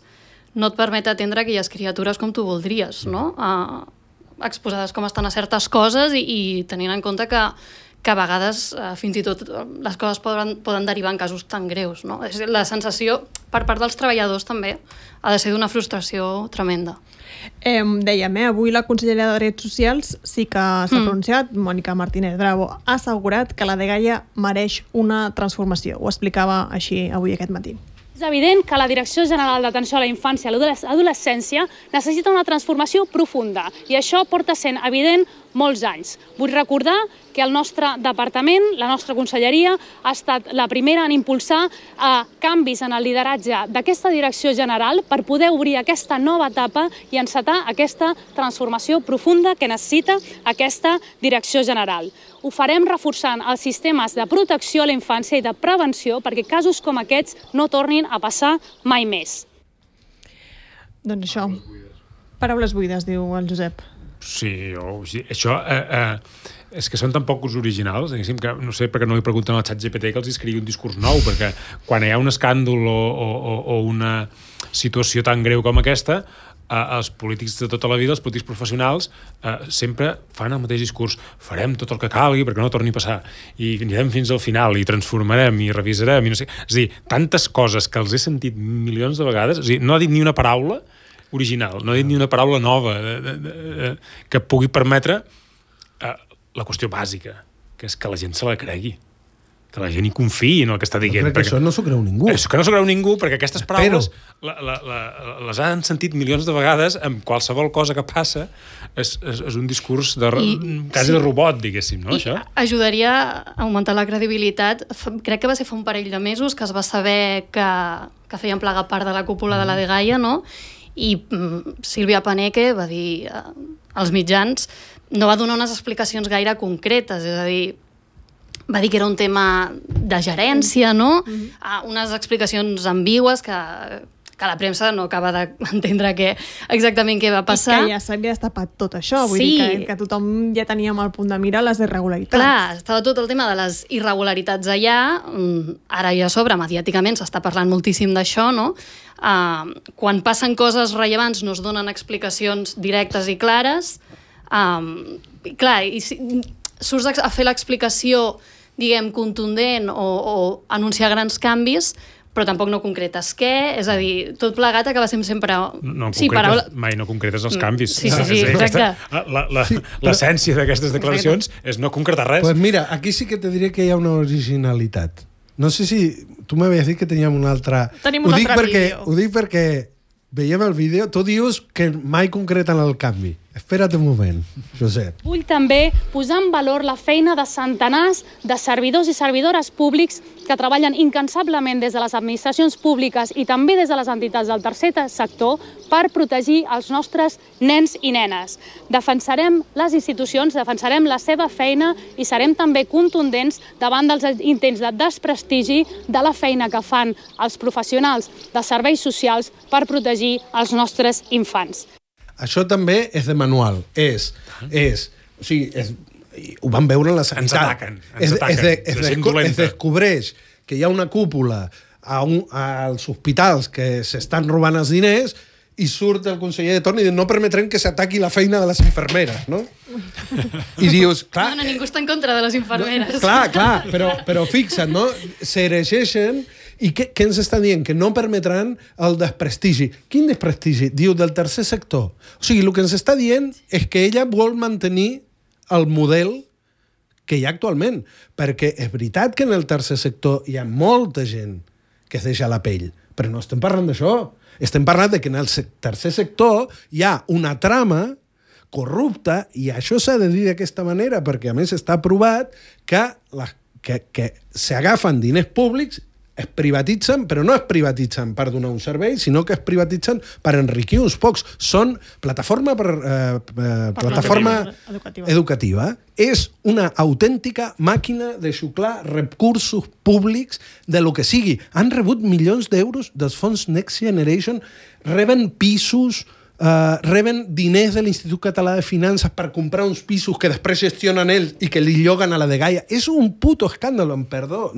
no et permet atendre aquelles criatures com tu voldries, no? Uh, exposades com estan a certes coses i, i tenint en compte que, que a vegades uh, fins i tot les coses poden, poden derivar en casos tan greus, no? La sensació per part dels treballadors també ha de ser d'una frustració tremenda. Eh, dèiem, eh, avui la consellera de Drets Socials sí que s'ha mm. pronunciat, Mònica Martínez Bravo, ha assegurat que la dgaia mereix una transformació. Ho explicava així avui aquest matí. És evident que la Direcció General d'Atenció a la Infància i l'Adolescència necessita una transformació profunda i això porta sent evident molts anys. Vull recordar que el nostre departament, la nostra conselleria, ha estat la primera en impulsar eh, canvis en el lideratge d'aquesta direcció general per poder obrir aquesta nova etapa i encetar aquesta transformació profunda que necessita aquesta direcció general. Ho farem reforçant els sistemes de protecció a la infància i de prevenció perquè casos com aquests no tornin a passar mai més. Doncs això, paraules buides, diu el Josep. Sí, o, sí això eh, eh, és que són tan pocs originals, que no sé per què no li pregunten al xat G P T que els escrigui un discurs nou, perquè quan hi ha un escàndol o, o, o una situació tan greu com aquesta, eh, els polítics de tota la vida, els polítics professionals, eh, sempre fan el mateix discurs. Farem tot el que calgui perquè no torni a passar. I anirem fins al final, i transformarem, i revisarem, i no sé. És a dir, tantes coses que els he sentit milions de vegades, és a dir, no ha dit ni una paraula original, no ha dit ni una paraula nova de, de, de, de, que pugui permetre eh, la qüestió bàsica, que que és que la gent se la cregui, que la gent hi confiï en el que està dient. Crec que perquè... això no s'ho creu ningú. Això que no s'ho creu ningú, perquè aquestes paraules Però... la, la, la, les han sentit milions de vegades amb qualsevol cosa que passa. És, és, és un discurs de, I, quasi sí. de robot, diguéssim, no, I això? Ajudaria a augmentar la credibilitat. Crec que va ser fa un parell de mesos que es va saber que, que feien plegar part de la cúpula mm. de la dgaia, no? I mm, Sílvia Paneque va dir eh, als mitjans, no va donar unes explicacions gaire concretes, és a dir, va dir que era un tema de gerència, no? Mm-hmm. Ah, unes explicacions ambigües que, que la premsa no acaba d'entendre que, exactament què va passar. I que ja s'havia destapat tot això, vull sí. dir que, que tothom ja teníem al punt de mira les irregularitats. Clar, estava tot el tema de les irregularitats allà, ara ja a sobre, mediàticament s'està parlant moltíssim d'això, no? Uh, quan passen coses rellevants no es donen explicacions directes i clares. Um, clar, i si surts a fer l'explicació, diguem, contundent o, o anunciar grans canvis, però tampoc no concretes què, és a dir, tot plegat acaba sent sempre... No, sí, concretes, paraula... mai no concretes els canvis. Sí, sí, sí, exacte. L'essència sí, d'aquestes declaracions exacte. És no concretar res. Pues mira, aquí sí que te diré que hi ha una originalitat. No sé si... Tu m'havies dit que teníem un altre... Tenim un ho dic altre perquè, vídeo. Ho dic perquè veiem el vídeo, tu dius que mai concreten el canvi. Espera't un moment, Josep. Vull també posar en valor la feina de centenars de servidors i servidores públics que treballen incansablement des de les administracions públiques i també des de les entitats del tercer sector per protegir els nostres nens i nenes. Defensarem les institucions, defensarem la seva feina i serem també contundents davant dels intents de desprestigi de la feina que fan els professionals de serveis socials per protegir els nostres infants. Això també és de manual. És, és, o sigui, és, ho van veure en la sanitat. Ens ataquen, ens ataquen. Es, es, es, es, es descobreix que hi ha una cúpula a un, als hospitals que s'estan robant els diners i surt el conseller de torn i diu no permetrem que s'ataqui la feina de les infermeres, no? I dius, clar... No, no, ningú està en contra de les infermeres. No, clar, clar, però, però fixa't, no? S'erigeixen. I què, què ens està dient? Que no permetran el desprestigi. Quin desprestigi? Diu, del tercer sector. O sigui, el que ens està dient és que ella vol mantenir el model que hi ha actualment. Perquè és veritat que en el tercer sector hi ha molta gent que es deixa la pell, però no estem parlant d'això. Estem parlant de que en el tercer sector hi ha una trama corrupta, i això s'ha de dir d'aquesta manera, perquè a més està provat que, la, que, que s'agafen diners públics, es privatitzen, però no es privatitzen per donar un servei, sinó que es privatitzen per enriquir uns pocs. Són plataforma, per, eh, eh, plataforma educativa. educativa. És una autèntica màquina de xuclar recursos públics de lo que sigui. Han rebut milions d'euros dels fons Next Generation, reben pisos, Uh, reben diners de l'Institut Català de Finances per comprar uns pisos que després gestionen ells i que li lloguen a la dgaia. És un puto escàndol, em perdó.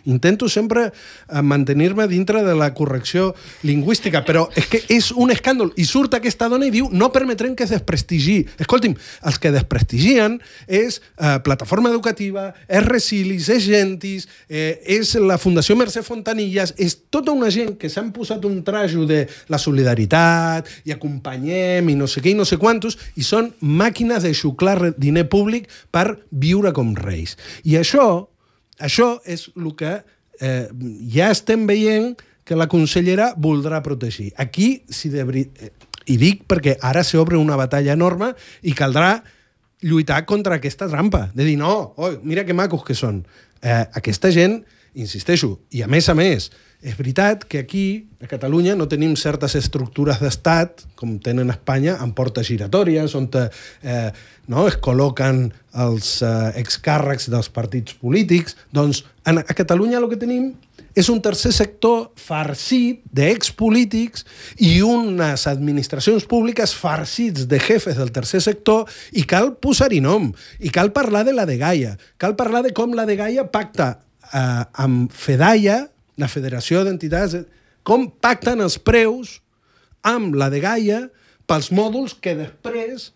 Intento sempre uh, mantenir-me dintre de la correcció lingüística, però és que és un escàndol. I surt aquesta dona i diu no permetrem que es desprestigi. Escolti'm, els que desprestigien és uh, Plataforma Educativa, és Resilis, és Gentis, eh, és la Fundació Mercè Fontanilles, és tota una gent que s'han posat un trajo de la solidaritat i acompanyar acompanyem i no sé què i no sé quantos, i són màquines de xuclar diner públic per viure com reis. I això, això és el que eh, ja estem veient que la consellera voldrà protegir. Aquí, si de veritat... I dic perquè ara s'obre una batalla enorme i caldrà lluitar contra aquesta trampa, de dir, no, oi, mira que macos que són. Eh, aquesta gent, insisteixo, i a més a més, és veritat que aquí, a Catalunya, no tenim certes estructures d'estat, com tenen a Espanya, amb portes giratòries, on eh, no, es col·loquen els eh, excàrrecs dels partits polítics. Doncs a Catalunya el que tenim és un tercer sector farcit d'expolítics i unes administracions públiques farcits de jefes del tercer sector, i cal posar-hi nom, i cal parlar de la dgaia, cal parlar de com la dgaia pacta eh, amb FEDAIA, la Federació d'Entitats, com pacten els preus amb la dgaia pels mòduls que després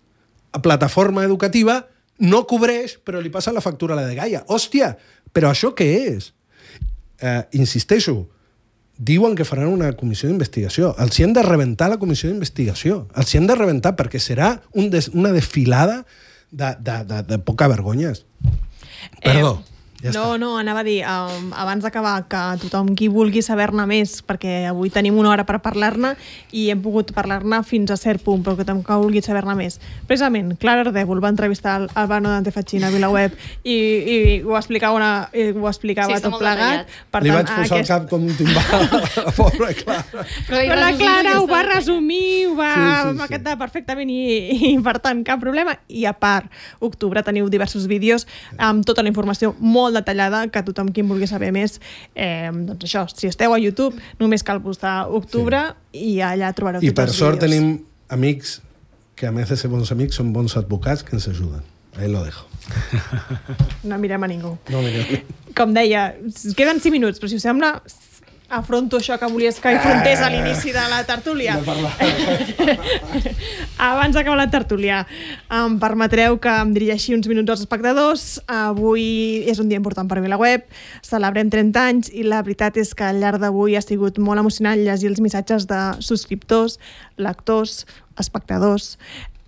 a Plataforma Educativa no cobreix, però li passa la factura a la dgaia. Hòstia, però això què és? Eh, insisteixo, diuen que faran una comissió d'investigació. Els hi han de rebentar la comissió d'investigació. Els hi han de rebentar perquè serà un des, una desfilada de, de, de, de poca vergonyes. Perdó. Eh, Ja no, està. no, anava a dir, um, abans d'acabar, que tothom qui vulgui saber-ne més, perquè avui tenim una hora per parlar-ne i hem pogut parlar-ne fins a cert punt, però que tothom que vulgui saber-ne més. Precisament, Clara Ardèvol va entrevistar el Albano Dante Fachin a VilaWeb i, i ho explicava, una, i ho explicava Sí, tot plegat. Per Li tant, vaig posar aquest... el cap com un timbal a la pobra Clara. Però, però la Clara ho va resumir, ho va sí, sí, sí. maquetar perfectament i, i, per tant, cap problema. I a part, octubre teniu diversos vídeos amb tota la informació molt detallada que tothom qui en vulgui saber més, eh, doncs això, si esteu a YouTube només cal posar octubre sí. i allà trobareu tots els vídeos. I per sort tenim amics que a més de ser bons amics són bons advocats que ens ajuden. Ahí lo dejo. No mirem a ningú. No mirem a ningú. Com deia, queden cinc minuts, però si us sembla afronto això que volies que afrontés a l'inici de la tertúlia. Abans d'acabar la tertúlia, em permetreu que em dirigeixi uns minuts als espectadors. Avui és un dia important per VilaWeb, celebrem trenta anys i la veritat és que al llarg d'avui ha sigut molt emocionant llegir els missatges de subscriptors, lectors, espectadors,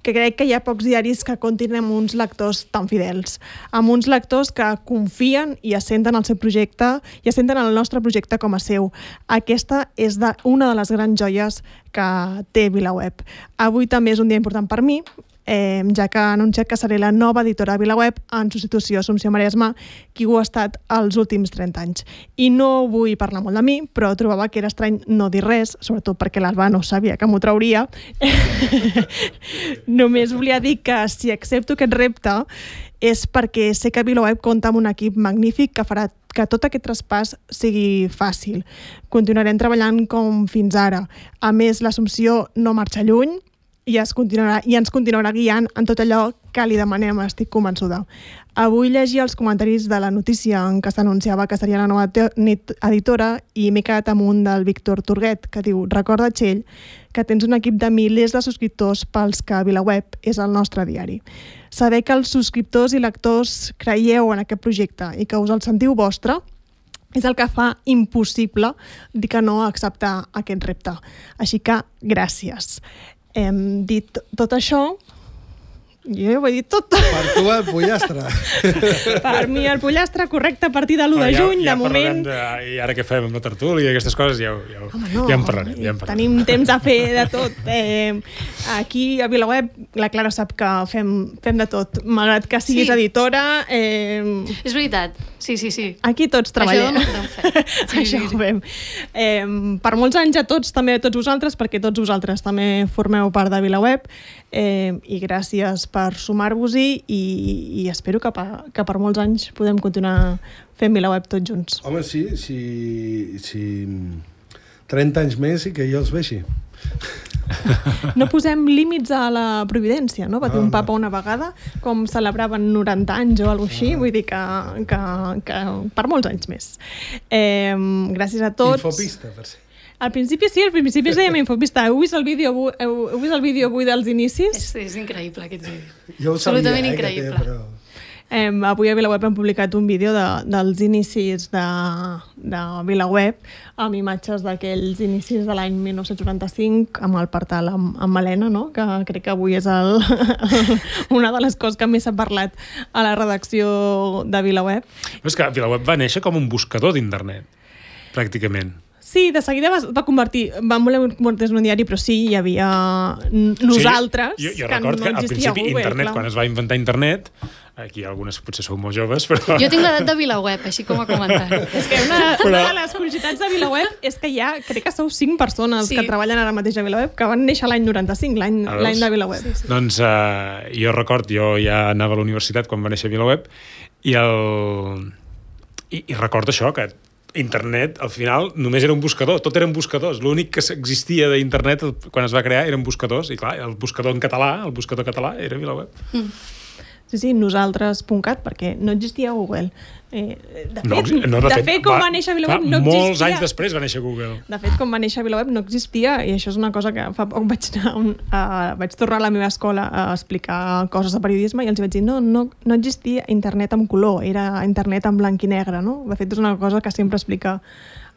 que crec que hi ha pocs diaris que comptin amb uns lectors tan fidels, amb uns lectors que confien i assenten el seu projecte i assenten el nostre projecte com a seu. Aquesta és de, una de les grans joies que té VilaWeb. Avui també és un dia important per mi, eh, ja que ha anunciat que seré la nova editora de VilaWeb en substitució a Assumpció Maresma, qui ho ha estat els últims trenta anys. I no vull parlar molt de mi, però trobava que era estrany no dir res, sobretot perquè l'Alba no sabia que m'ho trauria. Només volia dir que si accepto aquest repte és perquè sé que VilaWeb compta amb un equip magnífic que farà que tot aquest traspàs sigui fàcil. Continuarem treballant com fins ara. A més, l'Assumpció no marxa lluny, i, es continuarà, i ens continuarà guiant en tot allò que li demanem, estic convençuda. Avui llegia els comentaris de la notícia en què s'anunciava que seria la nova editora i m'he quedat amb un del Víctor Turguet que diu: recorda, Txell, que tens un equip de milers de subscriptors pels que VilaWeb és el nostre diari. Saber que els subscriptors i lectors creieu en aquest projecte i que us el sentiu vostre és el que fa impossible dir que no a acceptar aquest repte. Així que gràcies. Hem dit tot això, jo ho he dit tot. Per tu el pollastre. Per mi el pollastre, correcte, a partir de l'u de juny, ja, ja de moment... De, I ara què fem amb la tertúlia i aquestes coses, ja, ja, Home, no, ja en parlarem. Ja en parlarem. Tenim temps a fer de tot. Eh, aquí a VilaWeb la Clara sap que fem, fem de tot, malgrat que siguis sí. editora. Eh... És veritat, sí, sí, sí. Aquí tots treballem. Això no ho fem. Sí, Això ho fem. Eh, per molts anys a tots, també a tots vosaltres, perquè tots vosaltres també formeu part de VilaWeb, eh, i gràcies per sumar-vos-hi i, i espero que per, que per molts anys podem continuar fent VilaWeb tots junts. Home, sí, sí, sí. trenta anys més i que jo els vegi. No posem límits a la providència, no? Va dir un papa una vegada, com celebraven noranta anys o alguna cosa així, vull dir que, que, que per molts anys més. Eh, gràcies a tots. Infopista, per si. Al principi sí, al principi es dèiem Infopista. Heu vist el vídeo avui, heu, heu vist el vídeo avui dels inicis? És, és increïble aquest vídeo. Jo ho sabia, absolutament eh, increïble. té, però... Eh, avui a VilaWeb hem publicat un vídeo de, dels inicis de, de VilaWeb amb imatges d'aquells inicis de l'any mil nou-cents noranta-cinc amb el portal amb, amb Malena, no? Que crec que avui és el, una de les coses que més s'ha parlat a la redacció de VilaWeb. Però és que VilaWeb va néixer com un buscador d'internet, pràcticament. Sí, de seguida va, va convertir, van voler convertir en un diari, però sí, hi havia nosaltres, sí, jo, jo que record no que al existia principi Google, internet, clar. quan es va inventar internet, aquí algunes potser sou molt joves, però... Jo tinc l'edat de VilaWeb, així com a comentari. És que una, però... una de les curiositats de VilaWeb és que hi ha, crec que sou cinc persones sí. que treballen ara mateix a VilaWeb, que van néixer l'any noranta-cinc, l'any de VilaWeb. Sí, sí. Doncs uh, jo record, jo ja anava a la universitat quan va néixer VilaWeb, i, el... I, i recordo això, que internet, al final, només era un buscador. Tot eren buscadors. L'únic que existia d'internet quan es va crear eren buscadors. I clar, el buscador en català, el buscador català, era VilaWeb. Mm. Sí, sí, nosaltres punt cat, perquè no existia Google. Eh, de fet, no, no, de de fet, fet com va, va néixer VilaWeb no existia. Molts anys després va néixer Google. De fet, com va néixer VilaWeb no existia, i això és una cosa que fa poc vaig anar un, uh, vaig tornar a la meva escola a explicar coses de periodisme i els vaig dir, no, no, no existia internet en color, era internet en blanc i negre, no? De fet, és una cosa que sempre explica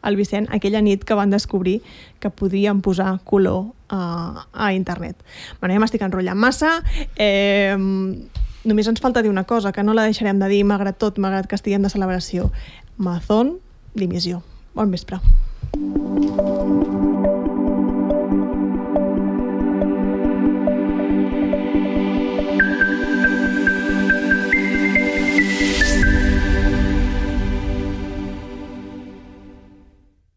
el Vicent aquella nit que van descobrir que podien posar color a, a internet. Bueno, ja m'estic enrotllant massa. Eh, només ens falta dir una cosa, que no la deixarem de dir malgrat tot, malgrat que estiguem de celebració. Mazón, dimissió. Bon vespre.